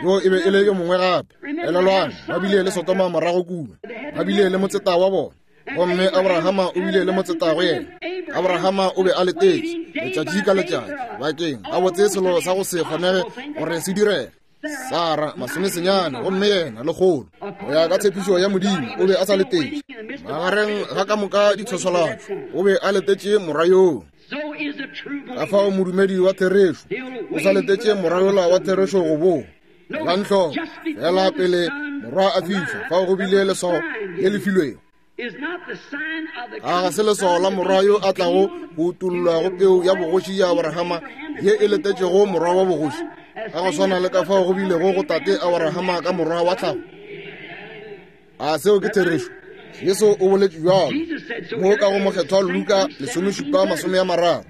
Yo e be e le yo mongwe gape. Elelwang, ba bile le Sodoma morago kua, ba bile le motseta wa bona, gomme Abrahama o bile le motseta go yena. Abrahama o be a letetše letšatši ka letšatši bakeng gabotse selo sa go se kgonege gore se direge. Sara masomesenyane gomme yena lekgolo go ya ka tshepišo ya Modimo o be a sa letetše magareng ga ka moka ditshoswalatšo o be a letetše morwa yoo. Ka fao modumedi wa therešo o sa letetše morwa yola wa therešo go boa. Elang hloko, fela pele morwa a fihla fao go bile leswao le le filwego. A ga se leswao la morwa yo a tlago go utollwa go peu ya bogoši ya Aborahama ye e letetšego morwa wa bogoši, ka go swana le ka fao go bilego go tate Aborahama ka morwa wa tlhago? A seo ke therešo? Jesu o boletše bjalo mo ka go Mokgethwa Luka 17:30.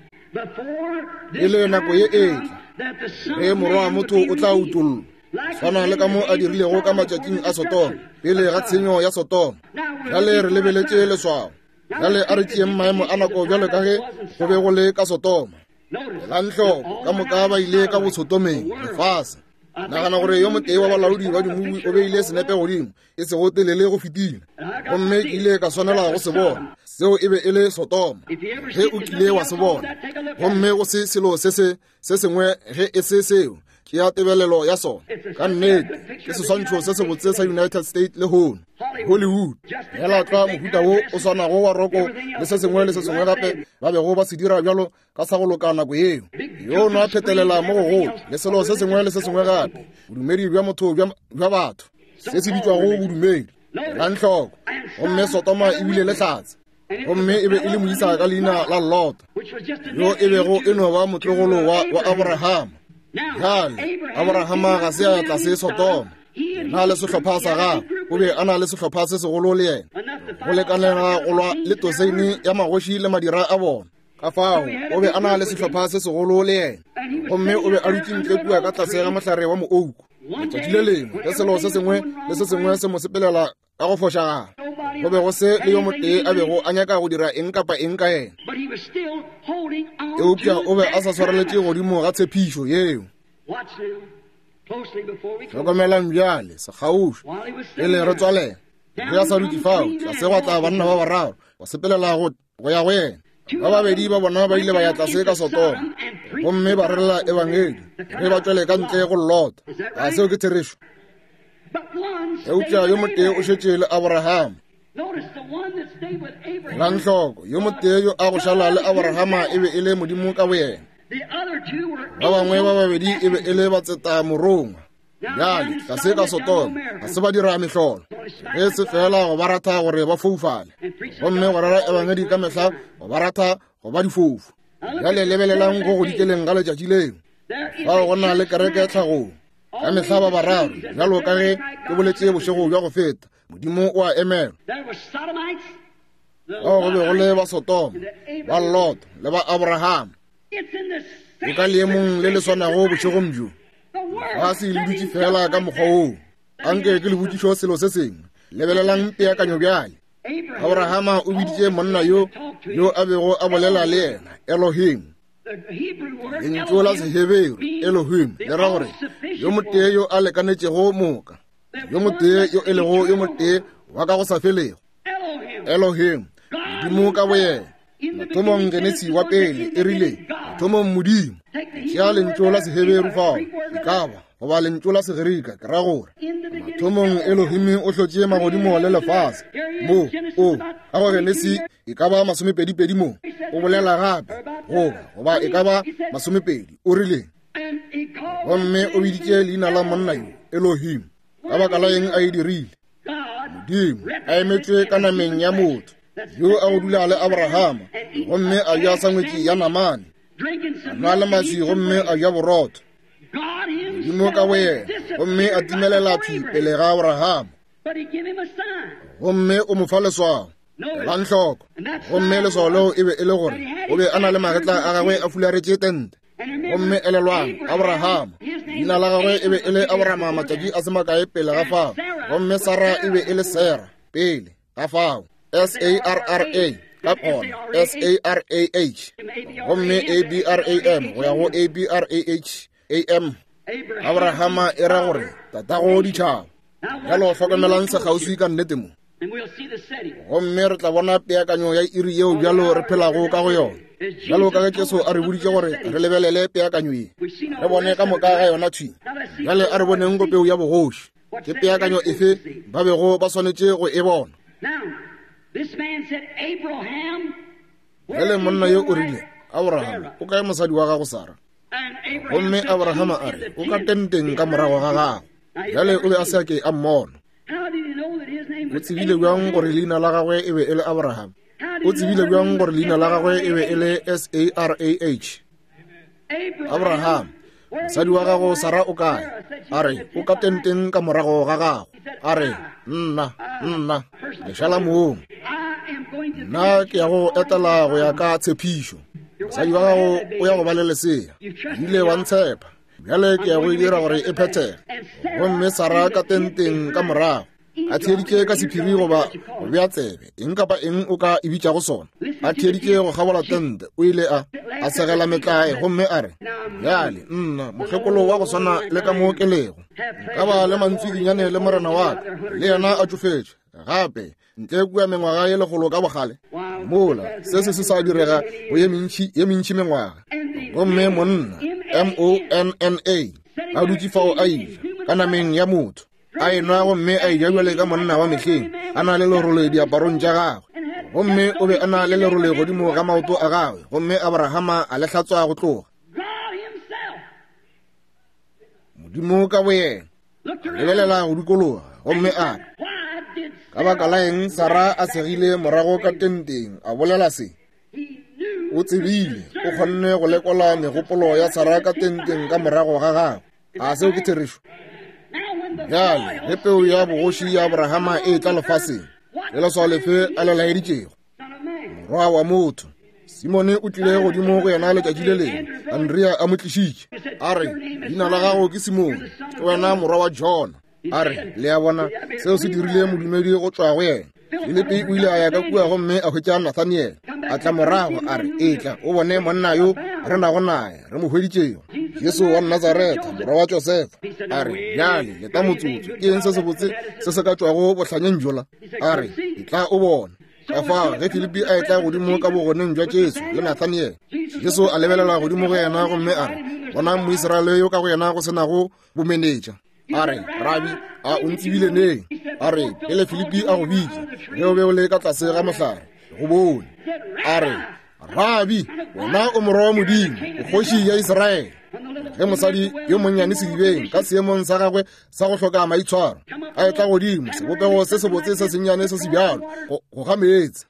Pele nako ye e tla, ge Morwa wa motho o tla utollwa, swana le ka mo a dirilego ka matšatšing a Sodoma, pele ga tshenyo ya Sodoma. Bjale re lebeletše leswao. Bjale a re tšeeng maemo a nako bjalo ka ge go be go le ka Sodoma. Elang hloko, ka moka ba ile ka bosotomeng, lefase. Nagana gore yo motee wa balaodi ba dimubi o beile senepe godimo, e sego telele go fetile, gomme ke ile ka swanela go se bona. Seo e be e le Sodoma, ge o kile wa se bona. Gomme go se selo se se se sengwe ge e se seo, tšea tebelelo ya sona. Ka nnete, ke seswantšho se sebotse sa United States lehono, Hollywood. Feela tlwa mohuta wo o swanago wa roko le se sengwe le se sengwe gape ba bego ba se dira bjalo ka sa go loka nako yeo. Yo nwa phetelela mo gogolo le selo se sengwe le se sengwe gape, bodumedi bja motho bja batho, se se bitšwago bodumedi. Elang hloko, gomme Sodoma e bile le hlatse. Gomme e be e le moisa ka leina la Lota, yo e bego e no ba motlogolo wa, wa Aborahama. Bjale, Aborahama ga se a ya tlase Sodoma. Na le sehlopha sa gagwe, o be a na le sehlopha se segolo le yena, go lekanela go lwa le toseine ya magoši le madira a bona. Ka fao, o be a na le sehlopha se segolo le yena. Gomme o be a dutše ntle kua ka tlase ga mohlare wa moouku. Letšatši le lengwe, ge selo se sengwe le se sengwe se mo sepelela ka go fošagala, go be go se le yo motee a bego a nyaka go dira eng kapa eng ka yena, eupša o be a sa swareletše godimo ga tshepišo yeo. Hlokomelang bjale, sekgaušwi, pele re tswalela. Ge a sa dutše fao, tlase gwa tla banna ba bararo, ba sepelela go ya go yena. Ba babedi ba bona ba ile ba ya tlase ka Sodoma gomme ba rerela ebangedi ge ba tšwele ka ntle go Lota. A seo ke therešo? Eupša yo motee o šetše le Aborahama. Elang hloko, yo motee yo a go šala le Aborahama e be e le Modimo ka boyena. Ba bangwe ba babedi e be e le batseta morongwa. Bjale, tlase ka Sodoma, ga se ba dira mehlolo, ge se fela go ba ratha gore ba foufale, gomme go rera ebangedi ka mehla go ba ratha go ba difofu. Bjale lebelelang go go dikeleng ga letšatši leo, fao go na le kereke tlhagong. Ka mehla ba bararo, bjalo ka ge ke boletše bošego bja go feta, Modimo o a emelwa. Bao go be go le ba Sodoma, ba Lot le ba Abraham. E ka leemong le le swanago bošegong bjo. Ga se le dutše fela ka mokgwa woo. Anke ke le botšišo selo se sengwe. Lebelelang peakanyo bjale. Abrahama o biditše monna yo yo a bego a bolela le yena, Elohim. Lentšu la Seheberu Elohim le ra gore yo motee yo a lekanetšego moka, yo motee yo e lego yo motee wa ka go sa felego. Elohim, Modimo ka boyena. Mathomong Genesi wa pele e rile, mathomong Modimo. Tšea lentšu la Seheberu fao, e ka ba, goba lentšu la Segerika, ke ra gore. Mathomong Elohim o hlotše magodimo le lefase. Mo, o, ka go Genesi e ka ba masomepedipedi mo, o bolela gape, goba, goba e ka ba masomepedi, o rile. Gomme o biditše leina la monna yo, Elohim. Ka baka la eng a e dirile? Modimo a emetšwe ka nameng ya motho yo a go dula le Abrahama, gomme a ja sangwetši ya namane, a nwa le maswi gomme a ja borotho. Modimo ka boyena, gomme a timelela thwi pele ga Abrahama, gomme o mo fa leswao. Elang hloko, gomme leswao leo e be e le gore o be a na le magetla a gagwe a fularetše tente. Gomme elelwang, Abrahama, leina la gagwe e be e le Abrahama matšatši a se makae pele ga fao, gomme Sara e be e le Sarah pele ga fao, S-A-R-R-A. Ka gona S-A-R-A-H, gomme A-B-R-A-M go ya go A-B-R-A-H-A-M. Abrahama e ra gore tatago ditšhaba. Bjalo hlokomelang sekgauswi ka nnete mo. Gomme re tla bona peakanyo ya iri yeo bjalo re phelago ka go yona. Bjalo ka ge Jesu a re boditše gore re lebelele peakanyo ye, re bone ka moka ga yona thwi. Bjale a re boneng go peu ya bogoši. Ke peakanyo efe ba bego ba swanetše go e bona? Bjale monna yo o rile, Abraham, o kae mosadi wa gago Sara? Gomme Abrahama a re, O ka tenteng ka morago ga gago. Bjale o be a se a ke a mmona. O tsebile bjang gore leina la gagwe e be e le Abraham? O tsebile bjang gore leina la gagwe e be e le S-A-R-A-H? Abraham, mosadi wa gago Sara o kae? A re, o ka tenteng ka morago ga gago. A re, nna, nna, lešala mong. Nna ke ya go etela go ya ka tshepišo. Mosadi wa gago o ya go ba le lesea. Ile wa ntshepa. Bjale ke ya go e dira gore e phethege. Gomme Sara ka tenteng ka morago. A theeditše ka sephiri goba go bea tsebe, eng kapa eng o ka e bitšago sona. A theeditše go kgabola tente, o ile a a segela metlae gomme a re, Bjale, nna, mokgekolo wa go swana le ka mo ke lego, nka ba le mantswidinyane le morena wa ka, le yena a tšofetše, gape ntle kua mengwaga ye lekgolo ka bogale. Mola, se se se sa direga go ye mentši, ye mentši mengwaga. Gomme monna, M-O-N-N-A, a dutše fao a ija, ka nameng ya motho. a enwa gomme a eja bjale ka monna wa mehleng, a na le lerole diaparong tša gagwe, gomme o be a na le lerole godimo ga maoto a gagwe, gomme Abrahama a le hlatswa go tloga. Modimo ka boyena lebelela go dikologa gomme a re, Ka baka la eng Sara a segile morago ka tenteng a bolela se? O tsebile, o kgonne go lekola megopolo ya Sara ka tenteng ka morago ga gagwe. A seo ke therešo? Bjale, ge peu ya bogoši ya Abrahama e etla lefaseng, ke leswao lefe a le laeditšego? Morwa wa motho. Simone o tlile godimo go yena letšatši le lengwe, Andrea a mo tlišitše. A re, Leina la gago ke Simone, ke wena morwa wa Jona. A re, Le a bona, seo se dirile modumedi go tšwa go yena. Filipi o ile a ya ka kua gomme a hwetša Nathaniele. A tla morago a re, Etla o bone monna yo re nago naye, re mo hweditšego, Jesu wa Nazaretha, morwa wa Josefa. A re, Bjale leta motsotso, ke eng se sebotse se se ka tšwago bohlanyeng bjola? A re, Etla o bone. Ka fao ge Filipi a etla godimo ka bogoneng bja Jesu le Nathaniele, Jesu a lebelela godimo go yena gomme a re, Bonang Moisraele yo ka go yena go se nago bomenetša. A re, Rabi, a o ntsebile neng? A re, Pele Filipi a go bitša, ge o be o le ka tlase ga mohlare, go bone. A re, Rabi, wena o morwa wa Modimo, o kgoši ya Israele. Ge mosadi yo monnyane sedibeng ka seemong sa gagwe sa go hloka maitshwaro a etla godimo sebopego se sebotse se sennyane se se bjalo go ga meetse,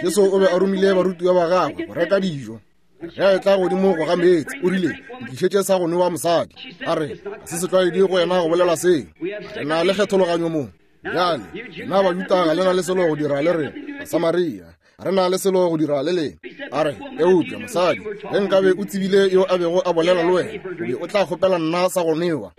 Jesu o be a romile barutiwa ba gagwe go reka dijo. Ge a etla godimo go ga meetse, o rile, Ntlišetše sa go newa mosadi. A re, Ga se setlwaedi go yena go bolela seo. Re na le kgethologanyo mo. Bjale, lena Bajuda ga le na le selo go dira le rena, Basamaria. Ga re na le selo go dira le lena. A re, Eupša, mosadi, ge nkabe o tsebile yo a bego a bolela le wena, o be o tla kgopela nna sa go newa.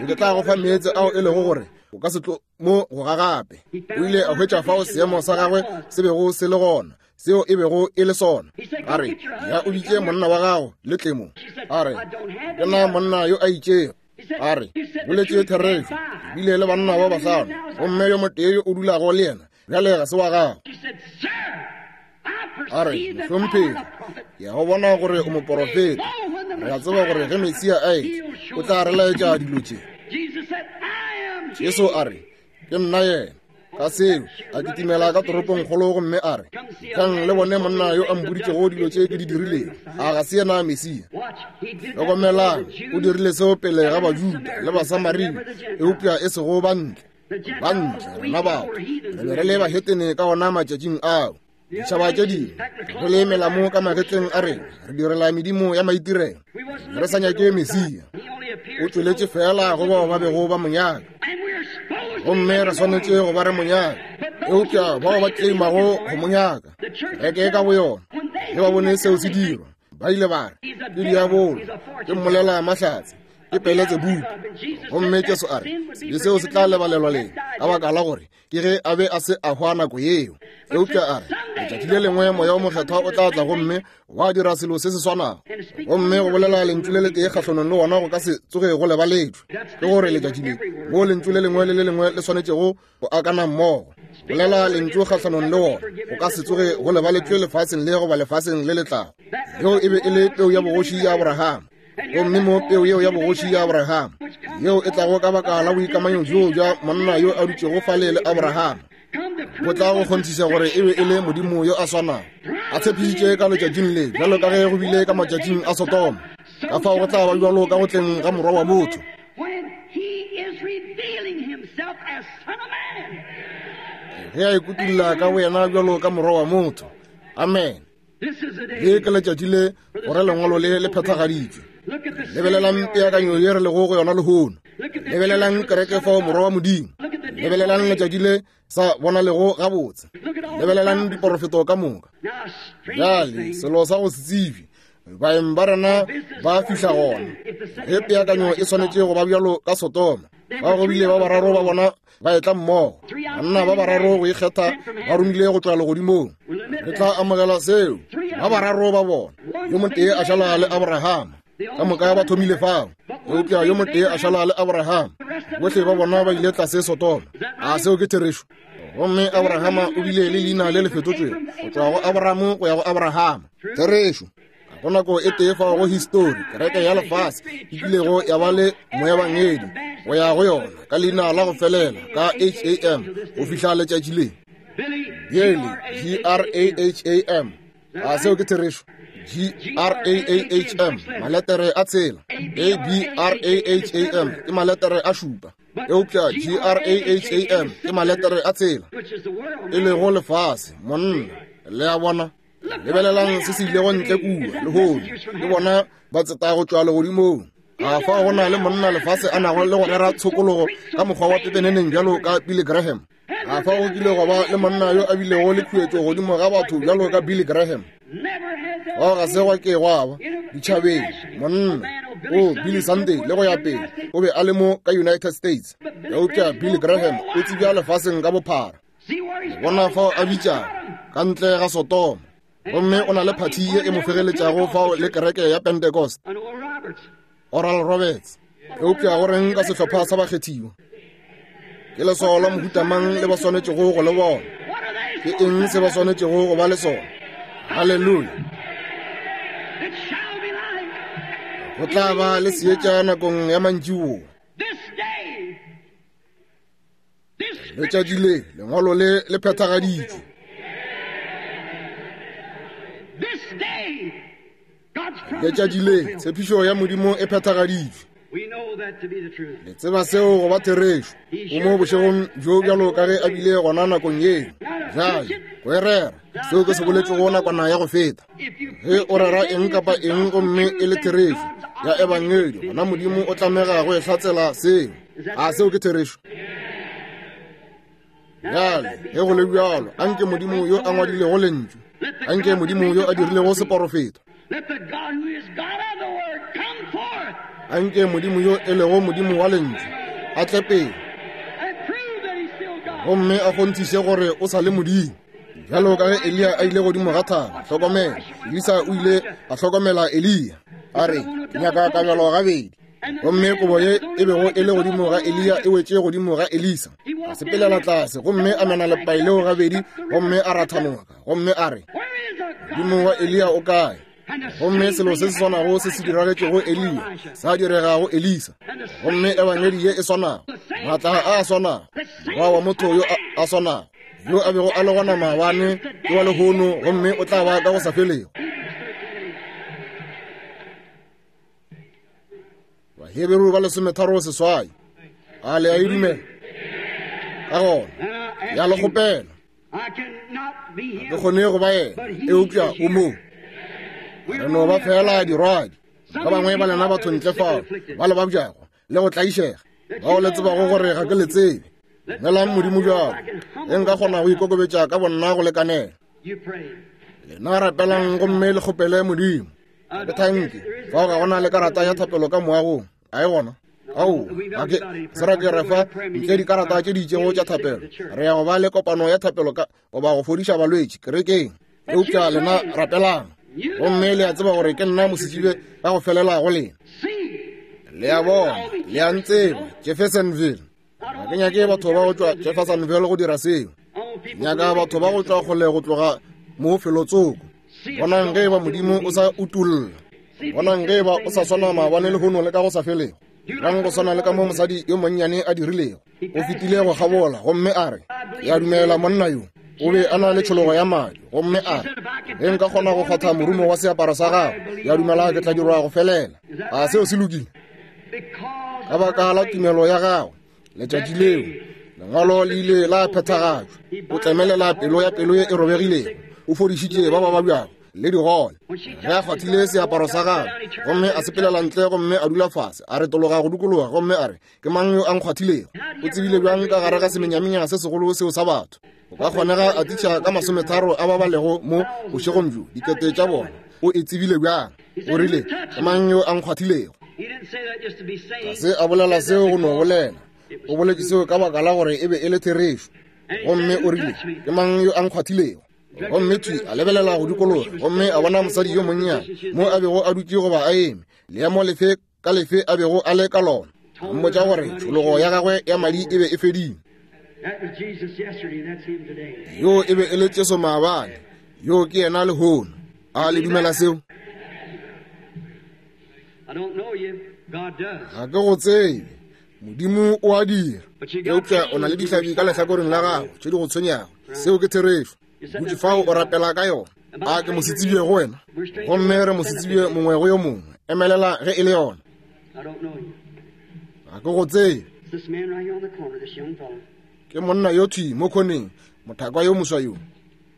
Ke tla go fa meetse ao e lego gore o ka se tlo mo go ga gape. O ile a hwetša fao seemo sa gagwe se bego se le gona, seo e bego e le sona. A re, Ya o bitše monna wa gago le tle mo. A re, Ke na monna yo a itšego. A re, Boletše therešo, ke bile le banna ba bahlano, gomme yo motee yo o dulago le yena bjale ga se wa gago. A re, Mohlomphegi, ke a go bona gore o moporofeta. Re a tseba gore ge Mesia a etla, o tla re laetša dilo tše. Jesu a re, Ke nna yena. Ka seo, a kitimela ka toropongkgolo gomme a re, Tlang le bone monna yo a mpoditšego dilo tše ke di dirilego. A ga se yena Mesia? Hlokomelang, o dirile seo pele ga Bajuda le Basamaria, eupša e sego bantle. Bantle, rena batho, re be re le bahetene ka ona matšatšing ao. Ditšhaba tše dingwe, re le melamo ka magetleng a rena, re direla medimo ya maitirelo, re sa nyake Mesia. O tšweletše feela go bao ba bego ba mo nyaka, gomme re swanetše go ba re mo nyaka. Eupša bao ba tleimago go mo nyaka, kereke ka boyona, ge ba bone seo se dirwa, ba ile ba re, Ke diabolo, ke mmolela mahlatse, ke Peletsebubu. Gomme Jesu a re, Sebe seo se tla lebalelwa lena, ka baka la gore ke ge a be a se a hwa nako yeo. Eupša a re, Letšatši le lengwe Moya o Mokgethwa o tla tla gomme wa dira selo se se swanago, gomme go bolela lentšu le letee kgahlanong le wona go ka se tsoge go lebaletšwe. Ke gore letšatši le moo lentšu le lengwe le le lengwe le swanetšego go akana mmogo, bolela lentšu kgahlanong le wona go ka se tsoge go lebaletšwe lefaseng le goba lefaseng le le tlago. Yeo e be e le peu ya bogoši ya Abrahama. Gomme mo peu yeo ya bogoši ya Abrahama, yeo e tlago ka baka la boikamanyo bjoo bja monna yo a dutšego fale le Abrahama, go tla go kgonthiša gore e be e le Modimo yo a swanago a tshepišitše ka letšatšing le, bjalo ka ge go bile ka matšatšing a Sodoma, ka fao go tla ba bjalo ka go tleng ga Morwa wa motho. Ge a ikutulla ka boyena bjalo ka Morwa wa motho. Amen. Le ke letšatši le gore lengwalo le le phethagaditšwe. Lebelelang peakanyo ye re lego go yona lehono. Lebelelang kereke fao Morwa wa Modimo. Lebelelang letšatši le sa bonalego gabotse. Lebelelang diporofeto ka moka. Bjale selo sa go se tsebje, baeng ba rena ba fihla gona. Ge peakanyo e swanetše go ba bjalo ka Sodoma, ba go bile ba bararo ba bona ba etla mmogo, banna ba bararo go ikgetha ba romile go tšwa legodimong. Re tla amogela seo. Ba bararo ba bona, yo motee a šala le Abrahama, ka moka ba thomile fao, eupša yo motee a šala le Abrahama, bohle ba bona ba ile tlase Sodoma. A seo ke therešo? Gomme Abrahama o bile le leina le le fetotšwego go tšwa go Abraham go ya go Abrahama. Therešo. Go nako e tee fao go histori kereke ya lefase e kilego ya ba le moebangedi go ya go yona ka leina la go felela ka H-A-M go fihla letšatši le. Bjale, G-R-A-H-A-M. A seo ke therešo? G-R-A-A-H-M, maletere a tshela. A-B-R-A-H-A-M ke maletere a šupa. Eupša G-R-A-H-A-M ke maletere a tshela, e lego lefase, monna. Le a bona? Lebelelang se se ilego ntle kua lehono, ke bona ba tseta go tšwa legodimong. A fa go na le monna lefase a nago le go rera tshokologo ka mokgwa wa pepeneneng bjalo ka Billy Graham? A fa go kile gwa ba le monna yo a bilego le khuetšo godimo ga batho bjalo ka Billy Graham? Bao ga se gwa ke gwa ba ditšhabeng. Monna o Billy Sunday le go ya pele o be a le mo ka United States, eupša Billy Graham o tsebja lefaseng ka bophara. Bona fao a bitšago ka ntle ga Sodoma, gomme o na le phathi ye e mo fegeletšago fao le kereke ya Pentecost, Oral Roberts. Eupša go reng ka sehlopha sa bakgethiwa? Ke leswao la mohuta mang le ba swanetšego go le bona? Ke eng se ba swanetšego go ba le sona? Haleluya! Go tla ba le seetša nakong ya mantšiboa. Letšatši le, lengwalo le le phethagaditšwe. Letšatši le, tshepišo ya Modimo e phethagaditšwe. Le tseba seo go ba therešo. O mo bošegong bjo bjalo ka ge a bile gona nakong yeo. Bjale, go e rera, seo ke se boletšego nakwana ya go feta. Ge o rera eng kapa eng gomme e le therešo ya ebangedi, gona Modimo o tlamega go e hlatsela seo. A seo ke therešo? Bjale, ge go le bjalo, anke Modimo yo a ngwadilego Lentšu, anke Modimo yo a dirilego seporofeto, anke Modimo yo e lego Modimo wa Lentšu a tle pele gomme a kgonthiše gore o sa le Modimo. Bjalo ka ge Eliya a ile godimo ga thaba, hlokomela, Elisa o ile a hlokomela Eliya, a re, Ke nyaka kabelo gabedi. Gomme kobo ye e bego e le godimo ga Eliya e wetše godimo ga Elisa. A sepelela tlase gomme a mena lepai leo gabedi, gomme a ratha noka, gomme a re, Modimo wa Eliya o kae? Gomme selo se se swanago se se diragetšego Eliya sa direga go Elisa. Gomme ebangedi ye e swanago, maatla a a swanago, morwa wa motho yo a swanago, yo a bego a le gona maabane ke wa lehono, gomme o tla ba ka go sa felego. Baheberu ba lesometharo seswai. A le a e dumela? Ka gona ya le kgopela, ga ke kgone go ba yena, eupša o mo. Re no ba fela dirwadi. Ba bangwe ba lena batho ntle fao ba le babjago le go tlaišega, bao le tsebago gore ga ke le tsebe. Dumelang Modimo bjalo, ge nka kgona go ikokobetša ka bonna go lekanela. Lena rapelang gomme le kgopele Modimo. Ke thanke. Fao ga go na le karata ya thapelo ka moagong. A e gona? Ao, ga ke se ra ke re fa ntle dikarata tše di itšego tša thapelo. Re ya go ba le kopano ya thapelo ka goba go fodiša balwetši kerekeng. Eupša lena rapelang. Gomme le a tseba gore ke nna mosetsebje ka go felela go lena. Le a bona, le a ntseba, Jeffersonville. Ga ke nyake batho ba go tšwa Jeffersonville go dira seo. Nyaka batho ba go tšwa kgole go tloga mo felotsoko. Bonang ge eba Modimo o sa utolla. Bonang ge eba o sa swana maabane lehono le ka go sa felego. Dirang go swana le ka mo mosadi yo monnyane a dirilego. O fetile go kgabola gomme a re, Ke a dumela monna yo o be a na le tšhologo ya madi. Gomme a re, Ge nka kgona go kgwatha morumo wa seaparo sa gagwe, ke a dumela ke tla dirwa go felela. A seo se lokile? Ka baka la tumelo ya gagwe, letšatši leo lengwalo le ile la phethagatšwa. O tlemelela pelo ya pelo ye e robegilego, o fodišitše ba ba babjago le digole. Ge a kgwathile seaparo sa gagwe gomme a sepelela ntle gomme a dula fase, a retologa go dikologa gomme a re, Ke mang yo a nkgwathilego? O tsebile bjang ka gare ga semenyamenya se segolo seo sa batho? Go ka kgonega a tliša ka masometharo a ba ba lego mo bošegong bjo, dikete tša bona. O e tsebile bjang? O rile, Ke mang yo a nkgwathilego? Ga se a bolela seo go no bolela. O boletše seo ka baka la gore e be e le therešo. Gomme o rile, Ke mang yo a nkgwathilego? Gomme thwi a lebelela go dikologa gomme a bona mosadi yo monnyane mo a bego a dutše goba a eme, leemo lefe ka lefe a bego a le ka lona, a mmotša gore tšhologo ya gagwe ya madi e be e fedile. Yoo e be e le Jesu maabane, yoo ke yena lehono. A le dumela seo? Ga ke go tsebe, Modimo o a dira. Eupša o na le dihlabi ka lehlakoreng la gago tše di go tshwenyago. Seo ke therešo. Dutše fao o rapela ka yona. A ke mosetsebje go wena? Gomme re mosetsebje mongwe go yo mongwe. Emelela ge e le yona. Ga ke go tsebe. Ke monna yo thwi mo khoneng, mothakwa yo moswa yo.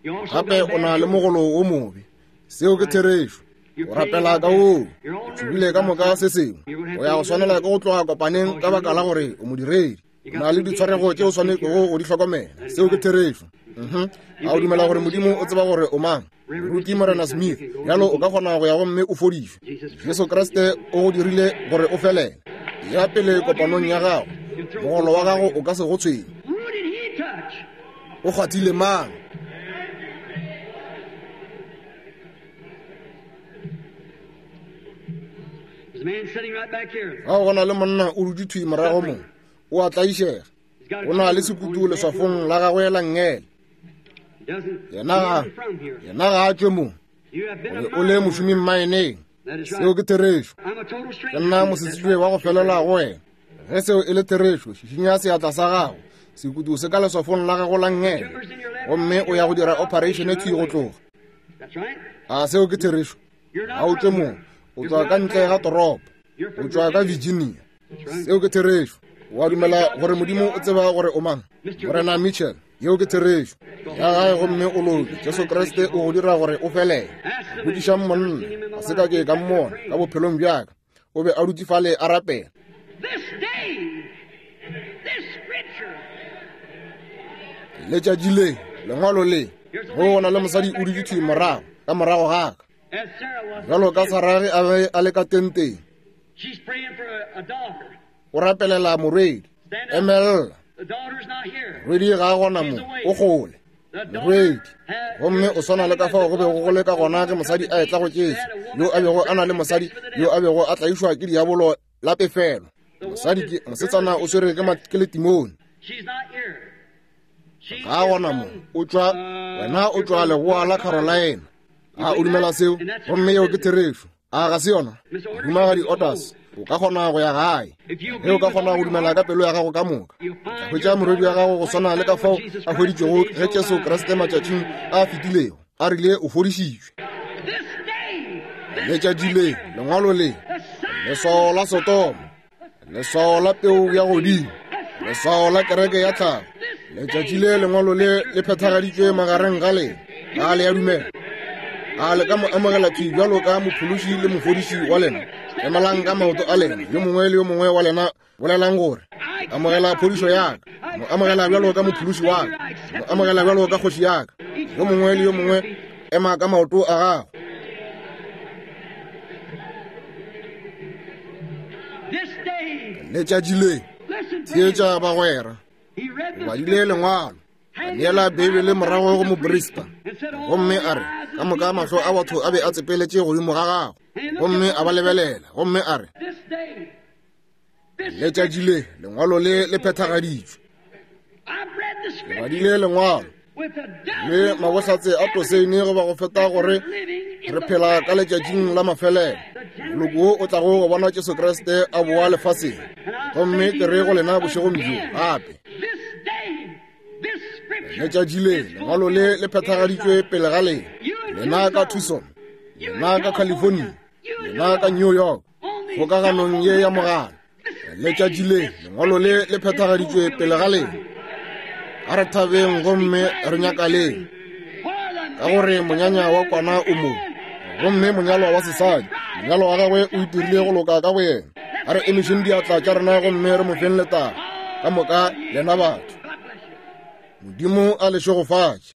Gape o na le mogolo wo mobe. Seo ke therešo. O rapela ka woo. O tsebile ka moka se sengwe. O ya go swanela ke go tloga kopaneng ka baka la gore o modiredi. O na le ditshwarego tše o swanetšego go di hlokomela. Seo ke therešo. Mhm. A o dumela gore Modimo o tseba gore o mang? Moruti Morena Smith, bjalo o ka kgona go ya gomme o fodišwe. Jesu Kriste o go dirile gore o felele. Ya pele kopanong ya gago, mogolo wa gago o ka se go tshwenye. O kgwathile mang? Ga go na le monna o dutše thwi morago mo, o a tlaišega. O na le sekutu leswafong la gagwe la nngele. Yena ga, yena ga a tšwe mo. O be o le mošomi mmaeneng. Seo ke therešo. Ke nna mosetsebje wa go felela go wena. Ge seo e le therešo, šišinya seatla sa gago. Sekutu se ka leswafong la gago la nngele. Gomme o ya go dira operation thwi go tloga. A seo ke therešo? Ga o tšwe mo. O tšwa ka ntle ga toropo. O tšwa ka Virginia. Seo ke therešo. O a dumela gore Modimo o tseba gore o mang? Morena Mitchell, yeo ke therešo. Ya gae gomme o loke. Jesu Kriste o go dira gore o felele. Botšišang monna, ga se ka ke ka mmona ka bophelong bja ka. O be a dutše fale a rapela. Letšatši le, lengwalo le, go na le mosadi o dutše thwi morago, ka morago ga ka. Bjalo ka Sarah ge a be a le ka tenteng. O rapelela morwedi. Emelela. Morwedi ga a gona mo, o kgole. Morwedi. Gomme o swana le ka fao go bego go le ka gona ge mosadi a etla go Jesu, yo a bego a na le mosadi yo a bego a tlaišwa ke diabolo la pefelo. Mosadi ke mosetsana o swere ke letimone. Ga a gona mo, o tšwa, wena o tšwa leboa la Carolina. A o dumela seo? Gomme yeo ke therešo. A ga se yona? Mohumagadi Otas, o ka kgona go ya gae. Ge o ka kgona go dumela ka pelo ya gago ka moka, o tla hwetša morwedi wa gago go swana le ka fao a hweditšwego ge Jesu Kriste matšatšing a fetilego a rile o fodišitšwe. Letšatši le, lengwalo le, leswao la Sodoma, leswao la peu ya godimo, leswao la kereke ya tlhago, letšatši le lengwalo le le phethagaditšwe magareng ga lena. A le a dumela? A le ka mo amogela thwi bjalo ka mophološi le mofodiši wa lena? Emelang ka maoto a lena, yo mongwe le yo mongwe wa lena bolelang gore, amogela phodišo ya ka, mo amogela bjalo ka mophološi wa ka, mo amogela bjalo ka kgoši ya ka. Yo mongwe le yo mongwe ema ka maoto a gago. Letšatši le. Theetša bagwera. O badile Lengwalo. A neela Beibele morago go moprista. Gomme a re, ka moka mahlo a batho a be a tsepeletše godimo ga gagwe. Gomme a ba lebelela, gomme a re, Letšatši le, Lengwalo le le phethagaditšwe. Ke badile Lengwalo le mabohlatse a toseine goba go feta gore re phela ka letšatšing la mafelelo moloko wo o tlago go bona Jesu Kriste a boa lefaseng. Gomme ke re go lena bošegong bjo gape, letšatši le Lengwalo le le phethagaditšwe pele ga lena, lena ka Tucson, lena ka California, lena ka New York, kgokaganong ye ya mogala. Letšatši le Lengwalo le le phethagaditšwe pele ga lena. A re thabeng gomme re nyakaleng, ka gore monyanya wa kwana o mo, gomme monyalwa wa sesadi, monyalwa wa gagwe o itirile go loka ka go yena. A re emišeng diatla tša rena gomme re mo feng letago ka moka, lena batho. Modimo a le šegofatše.